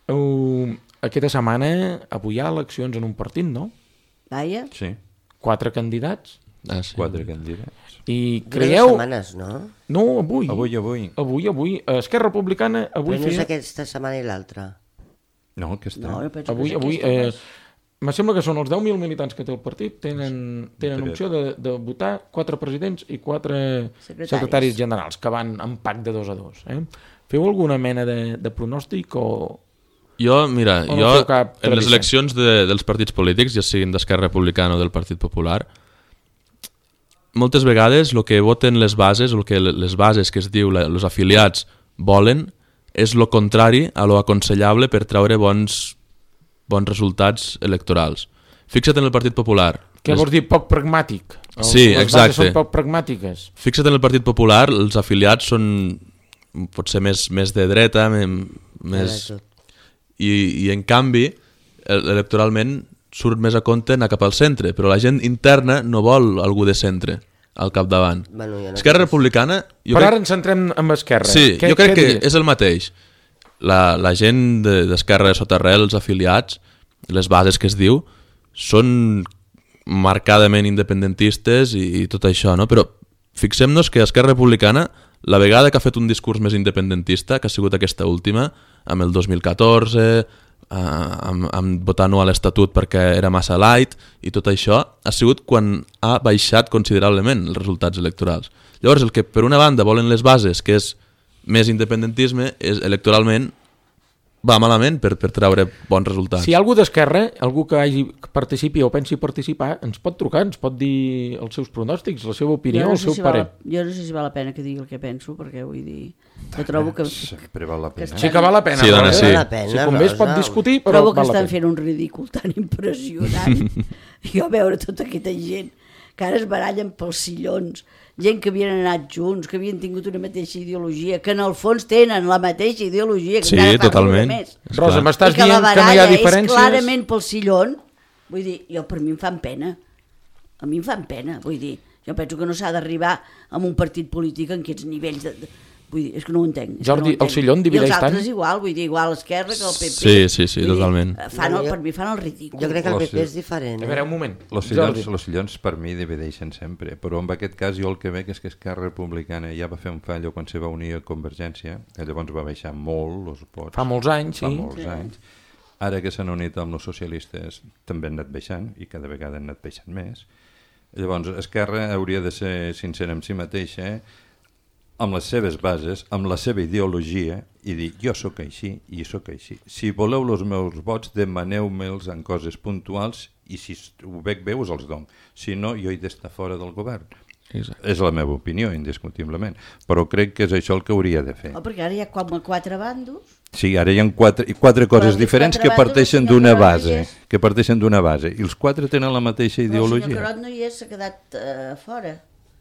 Uh, aquesta setmana, avui hi ha eleccions en un partit, no? Vaja. Sí, Quatre candidats. Ah, sí. quatre candidats. I Dura creieu... dues setmanes, no? No, avui. Avui, avui. Avui, avui. Esquerra Republicana, avui Però no és feia... aquesta setmana i l'altra. No, aquesta. No, jo penso Avui, que és avui, aquesta, eh, doncs. me sembla que són els deu mil militants que té el partit, tenen, tenen Tres. opció de, de votar quatre presidents i quatre Secretaris. secretaris generals, que van en pack de dos a dos. Eh? Feu alguna mena de, de pronòstic o... Jo, mira, O no jo feu cap en les tradició? eleccions de, dels partits polítics, ja siguin d'Esquerra Republicana o del Partit Popular, moltes vegades el que voten les bases, el que les bases que es diu els afiliats volen, és lo contrari a lo aconsellable per treure bons, bons resultats electorals. Fixa't en el Partit Popular. Què les... vols dir? Poc pragmàtic? Els, Sí, les exacte. bases són poc pragmàtiques. Fixa't en el Partit Popular, els afiliats són potser més, més de dreta, més... I, i en canvi, electoralment surt més a compte anar cap al centre, però la gent interna no vol algú de centre al capdavant. Bueno, ja no Esquerra sé. Republicana... Jo Però crec... ara ens centrem en Esquerra. Sí, què, jo crec què que diries? és el mateix. La, la gent d'Esquerra de Sotarrel, els afiliats, les bases que es diu, són marcadament independentistes i, i tot això, no? Però fixem-nos que Esquerra Republicana, la vegada que ha fet un discurs més independentista, que ha sigut aquesta última, amb el dos mil catorze, eh, amb, amb votar no a l'Estatut perquè era massa light i tot això, ha sigut quan ha baixat considerablement els resultats electorals. Llavors, el que per una banda volen les bases, que és més independentisme, és electoralment va malament per, per treure bons resultats. Si hi ha algú d'Esquerra, algú que hagi que participi o pensi participar, ens pot trucar, ens pot dir els seus pronòstics, la seva opinió, Jo no el sé seu si parer. val, jo no sé si val la pena que digui el que penso, perquè vull dir... Que trobo que... Sempre val la pena. Sí que val la pena. Sí, dona, Rosa. sí. Val la pena, Si convé es pot Rosa. discutir, però Trobo que val la estan pena. fent un ridícul tan impressionant. Jo veure tota aquesta gent que ara es barallen pels sillons, gent que havien anat junts, que havien tingut una mateixa ideologia, que en el fons tenen la mateixa ideologia, que Sí, encara fa totalment. riure més. Rosa, m'estàs I que la dient que no hi ha baralla diferències? és clarament pel sillon. Vull dir, jo per mi em fan pena. A mi em fan pena, vull dir. Jo penso que no s'ha d'arribar a un partit polític en aquests nivells de... de vull dir, és que no ho entenc. És Jordi, que no ho el sillon divideix I els tant? altres igual, vull dir, igual l'Esquerra que el P P. Sí, sí, sí, Vull dir, totalment. Fan el, Jo- per mi fan el ridícul. Jo crec que el Oh, P P sí. és diferent. A Eh? veure, un moment. Els sillons, Jordi. els sillons per mi divideixen sempre, però en aquest cas jo el que veig és que Esquerra Republicana ja va fer un fallo quan se va unir a Convergència, que llavors va baixar molt els vots. Fa molts anys, Fa sí. molts anys. Ara que s'han unit amb els socialistes també han anat baixant i cada vegada han anat baixant més. Llavors Esquerra hauria de ser sincera amb si mateixa, eh? amb les seves bases, amb la seva ideologia i dir jo sóc així i sóc així. Si voleu els meus vots, demaneu-me'ls en coses puntuals i si ho veig bé us els dono. Si no, jo he d'estar fora del govern. Exacte. És la meva opinió, indiscutiblement. Però crec que és això el que hauria de fer. Oh, perquè ara hi ha com a quatre bandos. Sí, ara hi ha quatre, quatre coses aquests diferents quatre que bandos, parteixen el senyor d'una Carod base. és- Que parteixen d'una base. I els quatre tenen la mateixa Però el senyor ideologia. Carod no hi és, s'ha quedat uh, fora,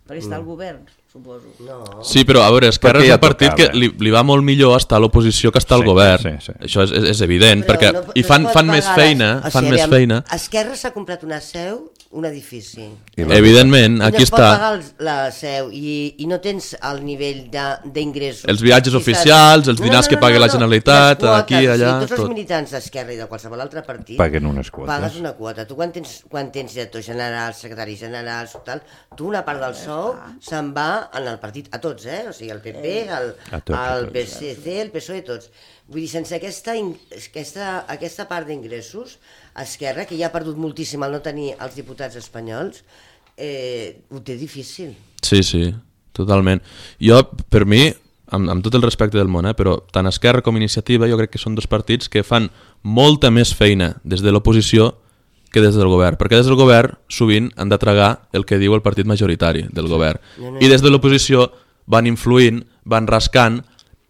perquè està al govern, suposo. No. Sí, però a veure, Esquerra Perquè és ja un partit tocava. que li, li va molt millor estar a l'oposició que estar al Sí, govern. sí, sí. Això és, és, és evident, Però perquè no- i no fan, es pot fan més pagar les- feina, o fan sigui, més aviam, feina. Esquerra s'ha comprat una seu, un edifici. I la- Evidentment, I aquí no es pot està. pagar el, la seu i, i no tens el nivell de- d'ingressos. Els viatges I oficials, els No, dinars no, que no, paga no, la no. Generalitat, Les quotes, aquí, allà, Sí, tots tot. els militants d'Esquerra i de qualsevol altre partit Paguen unes quotes. pagues una quota. Tu quan tens, quan tens director general, secretari general, tal, tu una part del sou se'n va en el partit, a tots, eh? O sigui, el P P, el, A tots, a el tots. P S C, el P S O E, tots. Vull dir, sense aquesta, in- aquesta, aquesta part d'ingressos, Esquerra, que ja ha perdut moltíssim al no tenir els diputats espanyols, eh, ho té difícil. Sí, sí, totalment. Jo, per mi, amb, amb tot el respecte del món, eh, però tant Esquerra com Iniciativa jo crec que són dos partits que fan molta més feina des de l'oposició que des del govern, perquè des del govern sovint han de tragar el que diu el partit majoritari del govern. No, no, I des de l'oposició van influint, van rascant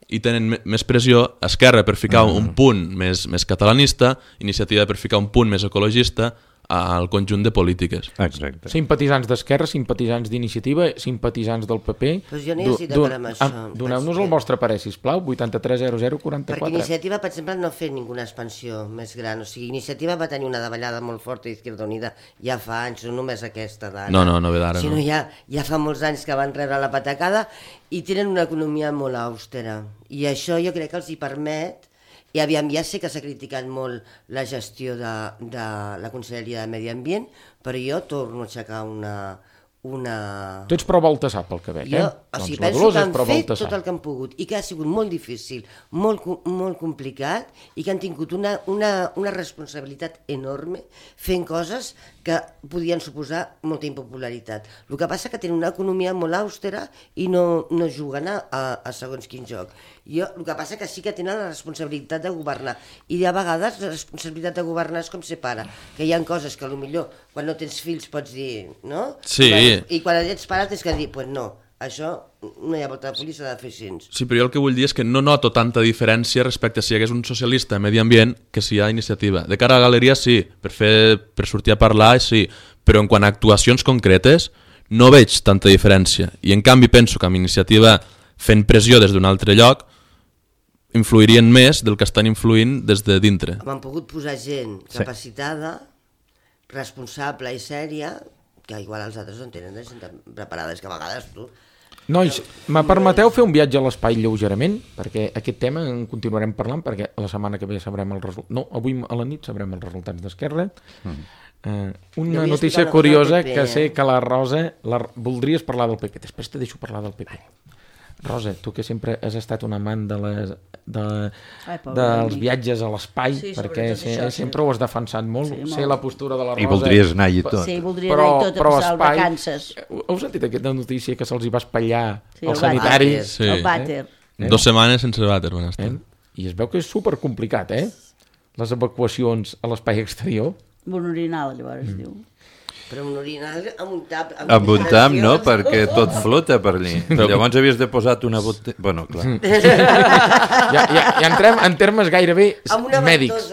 i tenen me- més pressió. Esquerra per ficar un punt més, més catalanista, Iniciativa per ficar un punt més ecologista al conjunt de polítiques. Exacte. Simpatitzants d'Esquerra, simpatitzants d'Iniciativa, simpatitzants del P P. Doncs jo no hi Du- estic du- d'acord amb això. ah, Doneu-nos el Vaig- vostre parer, sisplau, vuitanta-tres zero zero Perquè quaranta-quatre. Iniciativa, per exemple, no ha fet ninguna expansió més gran. O sigui, Iniciativa va tenir una davallada molt forta d'Izquierda Unida ja fa anys, no només aquesta d'ara. No, no, no ve d'ara, Sinó no. ja, ja fa molts anys que van rebre la patacada i tenen una economia molt austera. I això jo crec que els hi permet. I aviam, ja sé que s'ha criticat molt la gestió de, de la Conselleria de Medi Ambient, però jo torno a aixecar una... una... Tu ets pro Baltasar, pel que veig, Jo, eh? o sigui, Doncs la penso Dolors que és han pro fet Baltasar. tot el que han pogut i que ha sigut molt difícil, molt, co- molt complicat i que han tingut una, una, una responsabilitat enorme fent coses que podien suposar molta impopularitat. El que passa que tenen una economia molt àustera i no, no juguen a, a, a segons quin joc. Jo, el que passa que sí que tenen la responsabilitat de governar, i a vegades la responsabilitat de governar és com ser pare, que hi ha coses que potser quan no tens fills pots dir, no? Sí. I quan ets pare tens que dir, pues no, això no hi ha volta de policia, s'ha de fer així. Sí, però jo el que vull dir és que no noto tanta diferència respecte a si hi hagués un socialista a Medi Ambient que si hi ha iniciativa. De cara a la galeria sí, per, fer, per sortir a parlar sí, però en quant a actuacions concretes no veig tanta diferència. I en canvi penso que amb iniciativa fent pressió des d'un altre lloc influirien més del que estan influint des de dintre. Han pogut posar gent capacitada, responsable i sèria, que igual els altres no tenen de gent preparada, és que a vegades tu... Nois, me permeteu fer un viatge a l'espai lleugerament? Perquè aquest tema en continuarem parlant, perquè la setmana que ve sabrem el resultat. No, avui a la nit sabrem els resultats d'Esquerra. Mm. Uh, una notícia curiosa P P, que sé que la Rosa... La... Voldries parlar del P P, després te deixo parlar del P P. Rosa, tu que sempre has estat un amant de les, de, Ai, dels amic. viatges a l'espai, sí, perquè se, això, sempre sí. ho has defensat molt, sí, sé molt. La postura de la Rosa. I voldries anar-hi tot. Sí, voldria però, anar-hi tot a passar el vacances. Heu sentit aquesta notícia que se'ls hi va espatllar sí, els sanitaris? Sí. El vàter. Eh? Dos setmanes sense vàter van estar. Eh? I es veu que és supercomplicat, eh? Les evacuacions a l'espai exterior. Un orinal, llavors, mm. diu. Però un orinal amb un tap... Amb, amb un tap, no? Perquè tot flota per allí. Llavors havies de posar una botella... Bueno, clar. ja, ja, ja entrem en termes gairebé mèdics.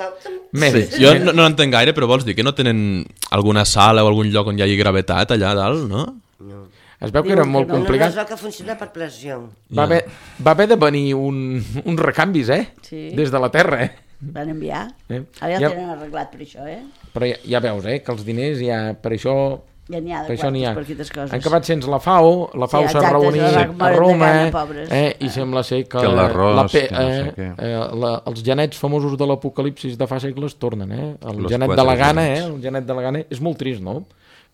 mèdics. Sí. Jo no, no entenc gaire, però vols dir que no tenen alguna sala o algun lloc on hi hagi gravetat allà dalt, no? No. Es veu que era molt no, complicat. No, no, es veu que funciona per pressió. Va haver, va haver de venir un, uns recanvis, eh? Sí. Des de la Terra, eh? Van enviar. Eh? Ara ja, ja el tenen arreglat per això, eh? Però ja, ja veus, eh? Que els diners ja... Per això... Ja n'hi ha de per quartos per aquestes coses. Han acabat sense la FAO, la FAO s'ha sí, reunit a Roma, gana, eh? I ah. sembla ser que, que l'arròs, la que no sé eh, eh, la, els genets famosos de l'apocalipsis de fa segles tornen, eh? El Los genet de la Gana, eh? El genet de la Gana és molt trist, no?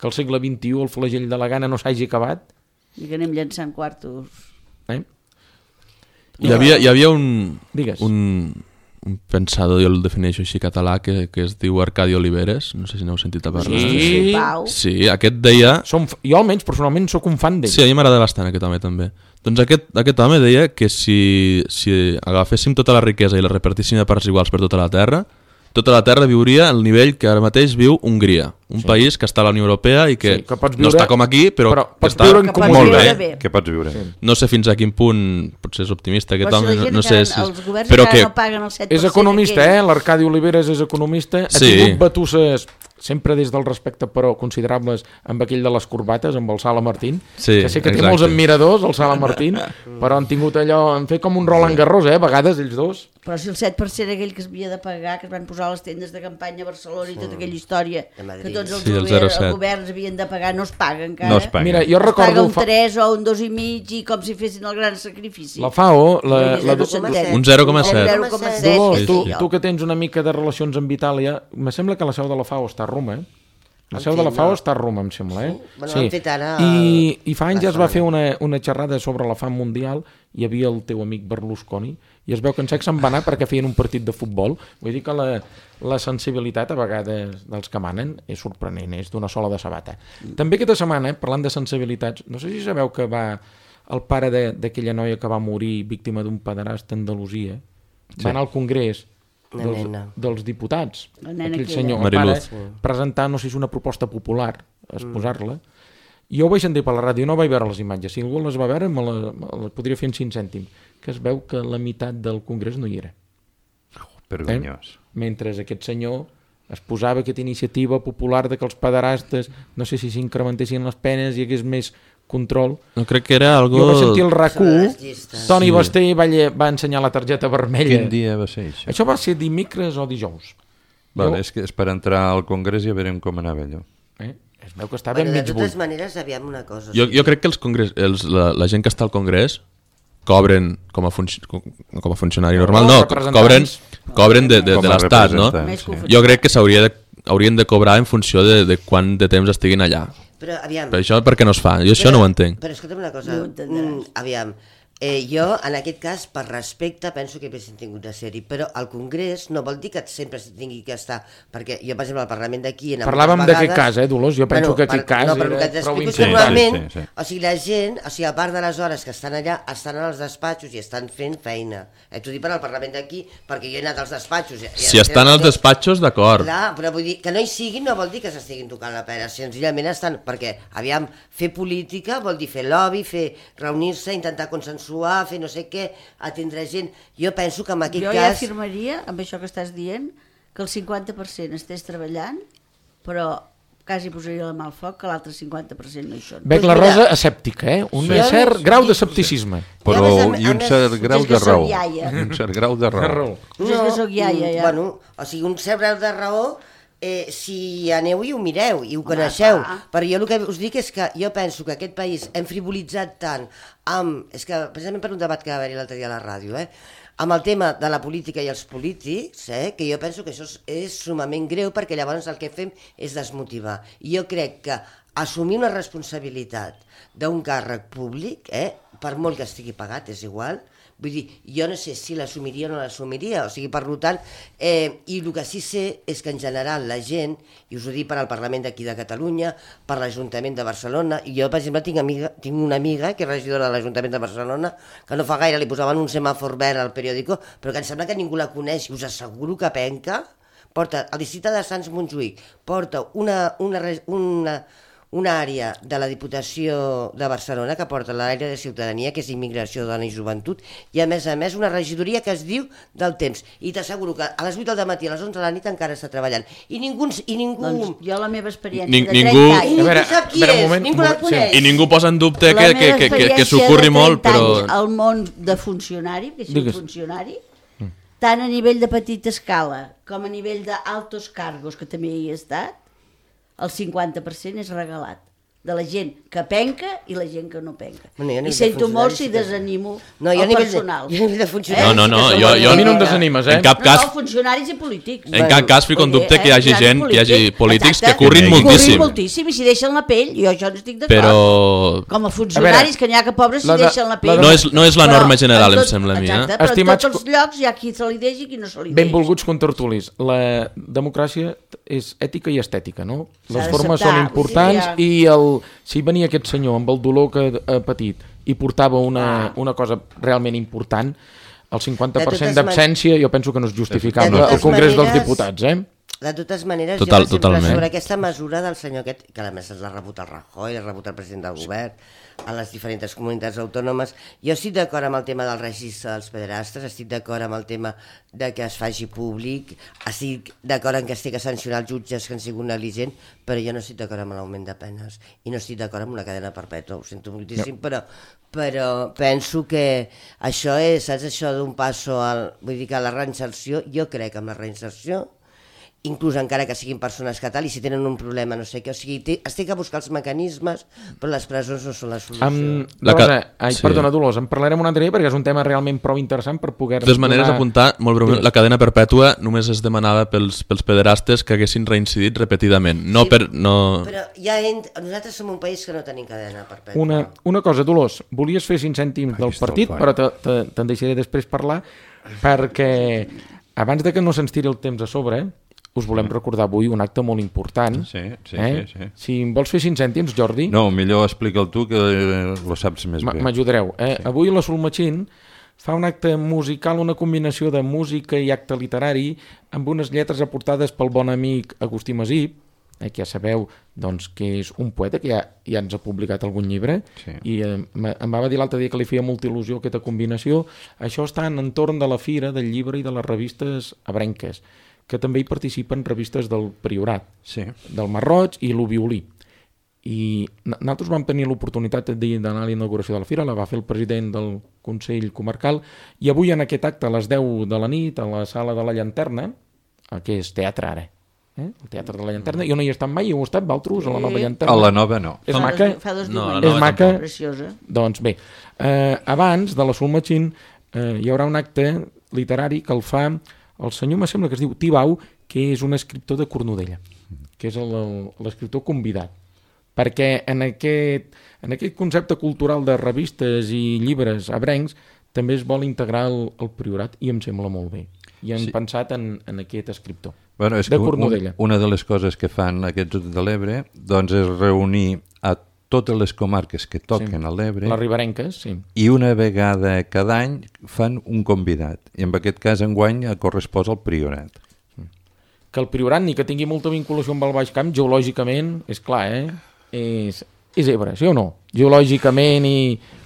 Que al segle vint-i-u el flagell de la Gana no s'hagi acabat. I que anem llançant quartos. Eh? Hi havia, hi havia un... Digues. Un... un pensador, jo el defineixo així català, que, que es diu Arcadi Oliveres, no sé si n'heu sentit a parlar. Sí, sí, aquest deia... Som, jo almenys personalment sóc un fan d'ell. Sí, a mi m'agrada bastant aquest home també. Doncs aquest, aquest home deia que si, si agaféssim tota la riquesa i la repartíssim a parts iguals per tota la terra, tota la terra viuria al nivell que ara mateix viu Hongria, un sí. país que està a la Unió Europea i que, sí, que viure, no està com aquí, però, però que està viure que molt bé. bé. Que pots viure. Sí. No sé fins a quin punt, potser és optimista aquest home, no, no sé si... Els governs però que no paguen el set per cent. És economista, eh? L'Arcadi Oliveres és economista, ha sí. tingut batusses sempre des del respecte, però considerables, amb aquell de les corbates, amb el Sala Martín, sí, que sé que exacte. té molts admiradors, el Sala Martín, però han tingut allò, han fet com un Roland Garros, eh? A vegades, ells dos. Però si el set per cent aquell que es havia de pagar, que es van posar a les tendes de campanya a Barcelona i tota aquella història, que tots els, sí, el govern, els governs havien de pagar, no es paga encara. No es paga. Mira, jo recordo... Es paga un fa... tres o un dos i mig i com si fessin el gran sacrifici. La FAO... La, la, la, un zero coma set. Dolors, tu, tu que tens una mica de relacions amb Itàlia, me sembla que la seu de la FAO està a Roma, eh? La seu de la FAO està a Roma, em sembla, eh? Sí, bueno, sí. Ara... I, I fa anys ja es va fer una, una xerrada sobre la fam mundial, hi havia el teu amic Berlusconi, i es veu que en sec se'n va anar perquè feien un partit de futbol. Vull dir que la, la sensibilitat a vegades dels que manen és sorprenent, és d'una sola de sabata. Mm. També aquesta setmana, parlant de sensibilitats, no sé si sabeu que va el pare d'aquella noia que va morir víctima d'un pederast a Andalusia, sí. va anar al Congrés dels, dels diputats, aquell senyor, el pare, sí. presentar, no sé si és una proposta popular, exposar-la. Jo ho vaig sentir per la ràdio, no vaig veure les imatges. Si algú les va veure, me la, me la podria fer en cinc cèntims. Que es veu que la meitat del Congrés no hi era. Vergonyós. Eh? Mentre aquest senyor es posava aquesta iniciativa popular de que els pederastes, no sé si s'incrementessin les penes i hi hagués més control. No crec que era algo... Jo vaig sentir el RAC u, Toni sí. Basté va, va ensenyar la targeta vermella. Quin dia va ser això? Això va ser dimecres o dijous. Vale, jo... és que és per entrar al Congrés i ja veurem com anava allò. Eh? Es veu que estava bueno, en mig buit. De totes maneres, aviam una cosa. Jo, jo crec que els congrés, els, la, la gent que està al Congrés cobren com a, func com, com a funcionari normal, no, no cobren, cobren de, de, de l'Estat, no? Sí. Jo crec que s'hauria de, haurien de cobrar en funció de, de quant de temps estiguin allà. Però, aviam... Per això per què no es fa? Jo però, això no ho entenc. Però escolta'm una cosa, mm, aviam, Eh, jo, en aquest cas, per respecte, penso que haguessin tingut de ser-hi, però al Congrés no vol dir que sempre s'hi tingui que estar, perquè jo, per exemple, al Parlament d'aquí... Parlàvem d'aquest cas, eh, Dolors? Jo penso bueno, que aquest cas no, però era que prou important. Normalment, sí, sí, sí. O sigui, la gent, o sigui, a part de les hores que estan allà, estan als despatxos i estan fent feina. Eh, T'ho dic per al Parlament d'aquí, perquè jo he anat als despatxos... I, si estan als despatxos, d'acord. Clar, però vull dir, que no hi siguin no vol dir que s'estiguin tocant la pera, senzillament estan... Perquè, aviam, fer política vol dir fer lobby, fer reunir-se, intentar consensuar, fer no sé què, atendre gent. Jo penso que en aquest jo cas... Jo ja afirmaria, amb això que estàs dient, que el cinquanta per cent estés treballant, però quasi posaria la mà al foc que l'altre cinquanta per cent no hi són. Veig la Rosa escèptica, eh? Un sí, cert sí, grau d'escepticisme. Però més, i un cert grau de raó. Un cert grau de raó. No, és que soc iaia, ja. Bueno, o sigui, un cert grau de raó... Eh, si aneu i ho mireu i ho coneixeu, ah, ah. Però jo el que us dic és que jo penso que aquest país hem frivolitzat tant amb, és que precisament per un debat que va haver-hi l'altre dia a la ràdio, eh, amb el tema de la política i els polítics, eh, que jo penso que això és, és sumament greu perquè llavors el que fem és desmotivar. I jo crec que assumir una responsabilitat d'un càrrec públic, eh, per molt que estigui pagat, és igual. Vull dir, jo no sé si l'assumiria o no l'assumiria, o sigui, per tant, eh, i el que sí sé és que en general la gent, i us ho dic per al Parlament d'aquí de Catalunya, per l'Ajuntament de Barcelona, i jo, per exemple, tinc, amiga, tinc una amiga que és regidora de l'Ajuntament de Barcelona, que no fa gaire li posaven un semàfor verd al periòdico, però que em sembla que ningú la coneix, i us asseguro que penca, porta, al districte de Sants Montjuïc, porta una... una, una una àrea de la Diputació de Barcelona que porta l'àrea de ciutadania, que és immigració, dona i joventut, i a més a més una regidoria que es diu del temps. I t'asseguro que a les vuit del matí, a les onze de la nit encara està treballant. I ningú... I ningú... Doncs jo la meva experiència Ni, de trenta ningú... anys... I ningú sap qui és, moment, ningú la coneix. I ningú posa en dubte que, que, que, que, que s'ocorri molt, però... El món de funcionari, que sigui funcionari, tant a nivell de petita escala com a nivell d'altos cargos, que també hi he estat, el cinquanta per cent és regalat de la gent que penca i la gent que no penca. Bueno, I sento molt si desanimo no, el personal. De, jo de eh? No, no, no, jo, jo, a mi no em desanimes, eh? En cap cas, no, funcionaris i polítics. En bueno, cap cas fico en dubte que hi hagi gent, que hi hagi polítics que currin moltíssim. Currin moltíssim i si deixen la pell, jo això no estic d'acord. Però... Com a funcionaris, que n'hi ha que pobres si deixen la pell. No és, no és la norma general, em sembla a mi. Exacte, però en tots els llocs hi ha qui se li deixi i qui no se li deixi. Benvolguts contertulis, la democràcia és ètica i estètica, no? Les formes són importants i el... si venia aquest senyor amb el dolor que ha patit i portava una, ah. una cosa realment important, el cinquanta per cent d'absència jo penso que no és justificable al Congrés maneres, dels Diputats, eh? De totes maneres, Total, jo totalment. sobre aquesta mesura del senyor aquest, que a més l'ha rebut el Rajoy, l'ha rebut el president del govern, a les diferents comunitats autònomes, jo estic d'acord amb el tema del registre dels pederastes, estic d'acord amb el tema de que es faci públic, estic d'acord en que es té que sancionar els jutges que han sigut negligents, però jo no estic d'acord amb l'augment de penes i no estic d'acord amb una cadena perpètua, ho sento moltíssim, no. però, però penso que això és, saps, això d'un passo al, vull dir que la reinserció, jo crec amb la reinserció, inclús encara que siguin persones que tal, i si tenen un problema, no sé què, o sigui, té, es té que buscar els mecanismes, però les presons no són la solució. Um, Dolors, ai, sí. Perdona, Dolors, en parlarem un altre dia perquè és un tema realment prou interessant per poder... De totes maneres, donar... apuntar, molt breument, la cadena perpètua només es demanava pels, pels pederastes que haguessin reincidit repetidament, no sí, per... No... Però ja ent... nosaltres som un país que no tenim cadena perpètua. Una, una cosa, Dolors, volies fer cinc cèntims del partit, però te'n deixaré després parlar, perquè abans de que no se'ns tiri el temps a sobre, us volem recordar avui un acte molt important. Sí, sí, eh? sí, sí. Si em vols fer cinc cèntims, Jordi... No, millor explica'l tu, que ho saps més bé. M'ajudareu. Eh? Sí. Avui la Solmatxín fa un acte musical, una combinació de música i acte literari, amb unes lletres aportades pel bon amic Agustí Masip, eh, que ja sabeu doncs, que és un poeta que ja, ja ens ha publicat algun llibre, sí. I eh, em va dir l'altre dia que li feia molta il·lusió aquesta combinació. Això està en entorn de la Fira del Llibre i de les revistes abrenques, que també hi participen revistes del Priorat, sí. Del Marroig i l'Uviolí. I nosaltres vam tenir l'oportunitat d'anar a la inauguració de la Fira, la va fer el president del Consell Comarcal, i avui en aquest acte a les deu de la nit, a la Sala de la Llanterna, que és teatre ara, eh? El Teatre de la Llanterna, jo no hi he estat mai, heu estat, Valtros, a la Nova Llanterna? A la Nova no. És maca? Fa dos no, diumenges. És maca? Preciosa. Doncs bé, eh, abans de la Solmatxín eh, hi haurà un acte literari que el fa el senyor, me sembla que es diu Tibau, que és un escriptor de Cornudella, que és l'escriptor convidat perquè en aquest, en aquest concepte cultural de revistes i llibres abrencs també es vol integrar el, el priorat i em sembla molt bé. I hem sí. pensat en, en aquest escriptor. Bueno, és de que Cornudella. Un, una de les coses que fan aquests de l'Ebre doncs és reunir a totes les comarques que toquen sí. a l'Ebre. Les riberenques, sí. I una vegada cada any fan un convidat. I en aquest cas enguany correspon al Priorat. Que el Priorat, ni que tingui molta vinculació amb el Baix Camp, geològicament, és clar, eh? És, és Ebre, sí o no? Geològicament i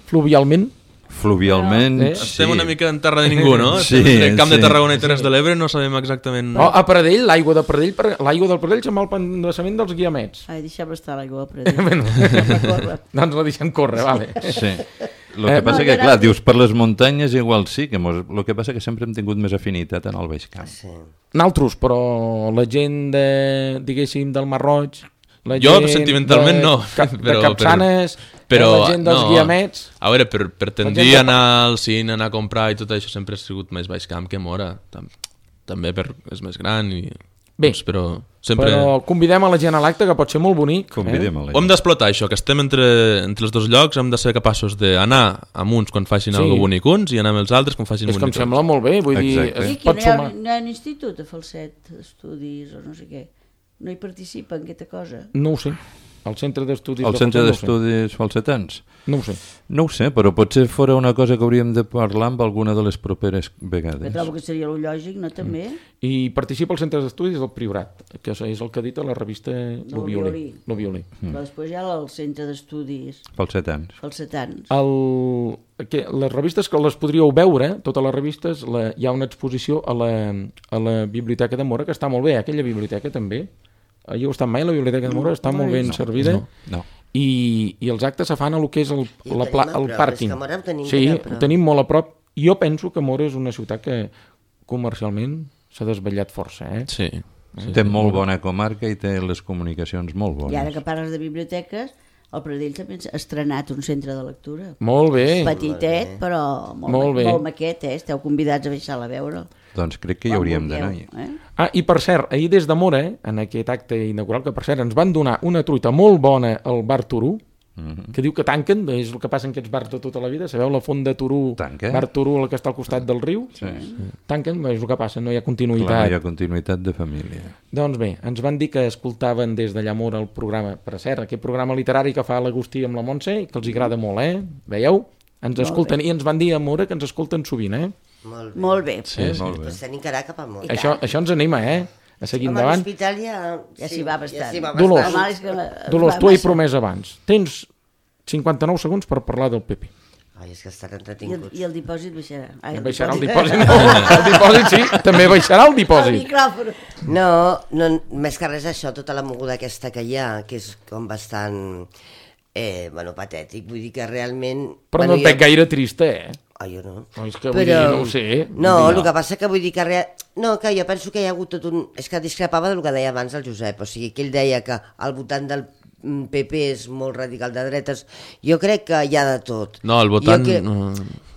fluvialment. Fluvialment, eh? sí. Estem una mica en terra de ningú, no? Sí, Estem entre Camp sí. de Tarragona i Terres de l'Ebre, no sabem exactament... Oh, a Pradell, l'aigua de Pradell, l'aigua del Pradell se'n va al pendassament dels Guiamets. Ai, deixem estar l'aigua a Pradell. Bueno, corre. doncs la deixem córrer, vale. Sí. El que Eh, passa no, que, era- clar, dius per les muntanyes igual sí, que mos... el que passa que sempre hem tingut més afinitat en el Baix Camp. Sí. Naltros, però la gent de, diguéssim, del Mar Roig, la Jo, gent sentimentalment, de, no, Cap, de però- Capçanes, però, la gent dels no. Guiamets... A veure, per, per tendir gent de- a anar al cine, anar a comprar i tot això sempre ha sigut més Baix Camp que Mora. Tam també per, és més gran i... Bé, doncs, però sempre... Però convidem a la gent a l'acte, que pot ser molt bonic. Convidem a la Ho hem gent. d'explotar això, que estem entre, entre els dos llocs, hem de ser capaços d'anar amb uns quan facin Sí. sí. alguna bonic uns i anar amb els altres quan facin És que em bonic uns. sembla molt bé, vull Exacte. dir, I es aquí pot no hi, ha, sumar. no hi ha un institut de falset d'estudis o no sé què. No hi participa en aquesta cosa. No ho sé. El centre d'estudis... El de centre Falset d'estudis falsetans? No ho sé. No ho sé, però potser fora una cosa que hauríem de parlar amb alguna de les properes Que vegades. trobo que seria el lògic, no també? I participa al centre d'estudis del Priorat, que és el que ha dit a la revista No, Lo el Violí. Violí. Lo Violí. Però després hi ha el centre d'estudis Falsetans. falsetans. El, que les revistes que les podríeu veure, totes les revistes, la, hi ha una exposició a la, a la Biblioteca de Mora, que està molt bé, aquella biblioteca també. Hi heu estat mai a la Biblioteca de Mora? Està No, molt no, ben no. servida. No, no. I, i els actes se fan a lo que és el, I ho la, tenim pla, a el prop, pàrquing. és que Mora ho tenim sí, ben a prop. ho tenim molt a prop. Jo penso que Mora és una ciutat que comercialment s'ha desvetllat força, eh? Sí. Té molt bona comarca i té les comunicacions molt I ara bones. que parles de biblioteques, el Pradell també ha estrenat un centre de lectura. Molt bé. Petitet, però molt, Molt molt, bé. molt maquet, eh? Esteu convidats a baixar-la a veure. Doncs crec que hi hauríem d'anar. Eh? Ah, i per cert, ahir des de Mora, eh, en aquest acte inaugural, que per cert ens van donar una truita molt bona al bar Turú, Mhm. que diu que tanquen, és el que passa en aquests bars de tota la vida, sabeu la font de Turú, Tanca? bar Turú, el que està al costat del riu? Sí. Tanquen, és el que passa, no hi ha continuïtat. Clar, no hi ha continuïtat de família. Doncs bé, ens van dir que escoltaven des d'allà a Mora el programa, per cert, aquest programa literari que fa l'Agustí amb la Montse, que els agrada molt, eh? Veieu? Ens escolten, i ens van dir a Mora que ens escolten sovint, eh? Molt bé. Molt bé. Sí, molt bé. Pues tenim que anar cap a Mora. Això, això ens anima, eh? A seguir Home, endavant. l'hospital ja... Ja s'hi va bastant. Ja s'hi va Dolors. bastant. El mal és que es Dolors, va tu ho he massa. promès abans. Tens cinquanta-nou segons per parlar del P P. Ai, és que estan I el, entretinguts. I el dipòsit baixarà. Ai, el Baixarà el dipòsit? No, el dipòsit sí, també baixarà el El dipòsit. micròfon. No, no, més que res això, tota la moguda aquesta que hi ha, que és com bastant, eh, bueno, patètic. Vull dir que realment... Però bueno, no et veig gaire trista, eh? Ah, jo no. No, és que vull dir, no ho sé. No, Vull dir, el que passa que vull dir que... Rea... No, que jo penso que hi ha hagut tot un... És que discrepava del que deia abans el Josep, o sigui, que ell deia que al votant del P P és molt radical de dretes. Jo crec que hi ha de tot. No, el votant... Jo que... no.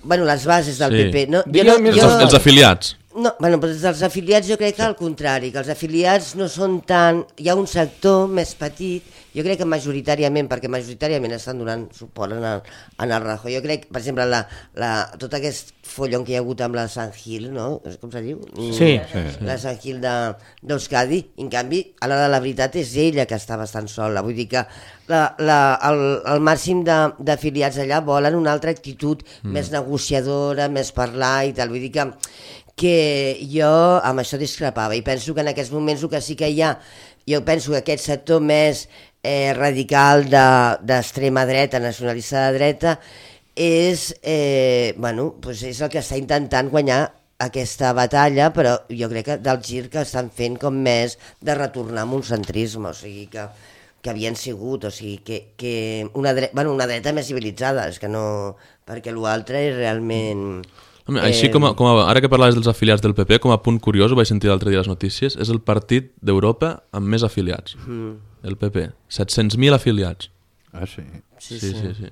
Bueno, les bases del Sí. P P. No, jo Digue no, més jo... Els, els afiliats. No, bueno, però dels afiliats jo crec que al contrari, que els afiliats no són tan... Hi ha un sector més petit, jo crec que majoritàriament, perquè majoritàriament estan donant suport en el, en el Rajoy. Jo crec, per exemple, la, la, tot aquest follon que hi ha hagut amb la Sant Gil, no? Com se diu? Sí. La Sant Gil de- d'Euskadi. En canvi, a l'hora de la veritat és ella que està bastant sola. Vull dir que la, la, el, el màxim de- d'afiliats allà volen una altra actitud mm. més negociadora, més parlar i tal. Vull dir que que jo amb això discrepava i penso que en aquests moments el que sí que hi ha, jo penso que aquest sector més eh, radical d'extrema de, dreta, nacionalista de dreta, és, eh, bueno, pues és el que està intentant guanyar aquesta batalla, però jo crec que del gir que estan fent com més de retornar a un centrisme, o sigui que, que havien sigut, o sigui que, que una, dreta, bueno, una dreta més civilitzada, és que no, perquè l'altre és realment... Home, així com a, com a, ara que parlaves dels afiliats del P P, com a punt curiós, ho vaig sentir l'altre dia a les notícies, és el partit d'Europa amb més afiliats, mm. el P P, set-cents mil afiliats. Ah, sí. Sí, Sí, sí. sí, sí.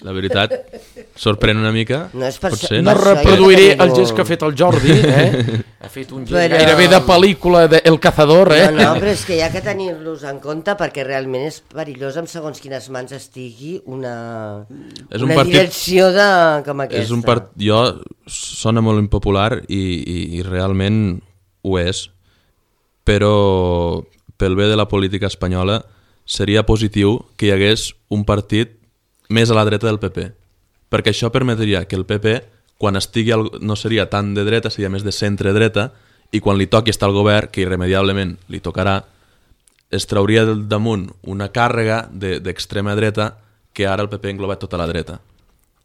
la veritat, sorprèn una mica. No és per potser, No això reproduiré jo el digo- gest que ha fet el Jordi, eh? Ha fet un gest Però- gairebé de pel·lícula de El Cazador, eh? No, no, però és que hi ha que tenir-los en compte perquè realment és perillós amb segons quines mans estigui una, És un una partit- direcció de, com aquesta. És un part... Jo sona molt impopular i, i, i realment ho és, però pel bé de la política espanyola seria positiu que hi hagués un partit més a la dreta del P P, perquè això permetria que el P P, quan estigui al... no seria tan de dreta, seria més de centre-dreta, i quan li toqui estar al govern, que irremediablement li tocarà, es trauria del damunt una càrrega de- d'extrema dreta que ara el P P engloba tota la dreta.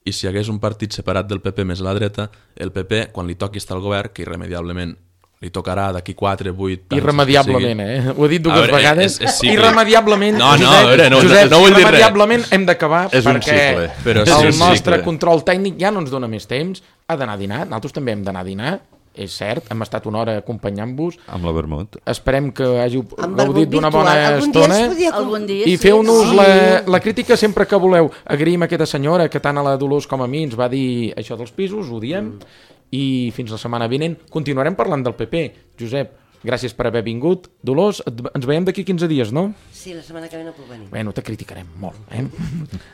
I si hi hagués un partit separat del P P més a la dreta, el P P, quan li toqui estar al govern, que irremediablement li tocarà d'aquí quatre, vuit... anys, Irremediablement, eh? Ho he dit dues A veure, vegades. és- és cíclic. Irremediablement, No, no, Josep, a veure, no, no- Josep, no vull dir res. irremediablement hem d'acabar És un perquè cicle, però és el un nostre cicle. control tècnic ja no ens dona més temps, ha d'anar a dinar, nosaltres també hem d'anar a dinar, és cert, hem estat una hora acompanyant-vos, Amb la vermut. esperem que hàgiu Amb gaudit vermut d'una virtual. bona Algun dia estona. es podia... Algun dia I sí. feu-nos sí. la, la crítica sempre que voleu. Agraïm a aquesta senyora que tant a la Dolors com a mi ens va dir això dels pisos, ho diem, i fins la setmana vinent continuarem parlant del P P. Josep, gràcies per haver vingut. Dolors, et- ens veiem d'aquí quinze dies, no? Sí, la setmana que ve no puc venir. Bueno, te criticarem molt, eh?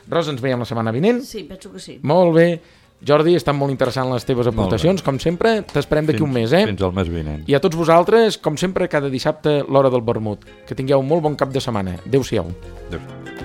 Rosa, ens veiem la setmana vinent. Sí, penso que sí. Molt bé. Jordi, estan molt interessants les teves aportacions, com sempre. T'esperem d'aquí un mes, eh? Fins al mes vinent. I a tots vosaltres, com sempre, cada dissabte, l'hora del vermut. Que tingueu un molt bon cap de setmana. Adéu-siau. Adéu.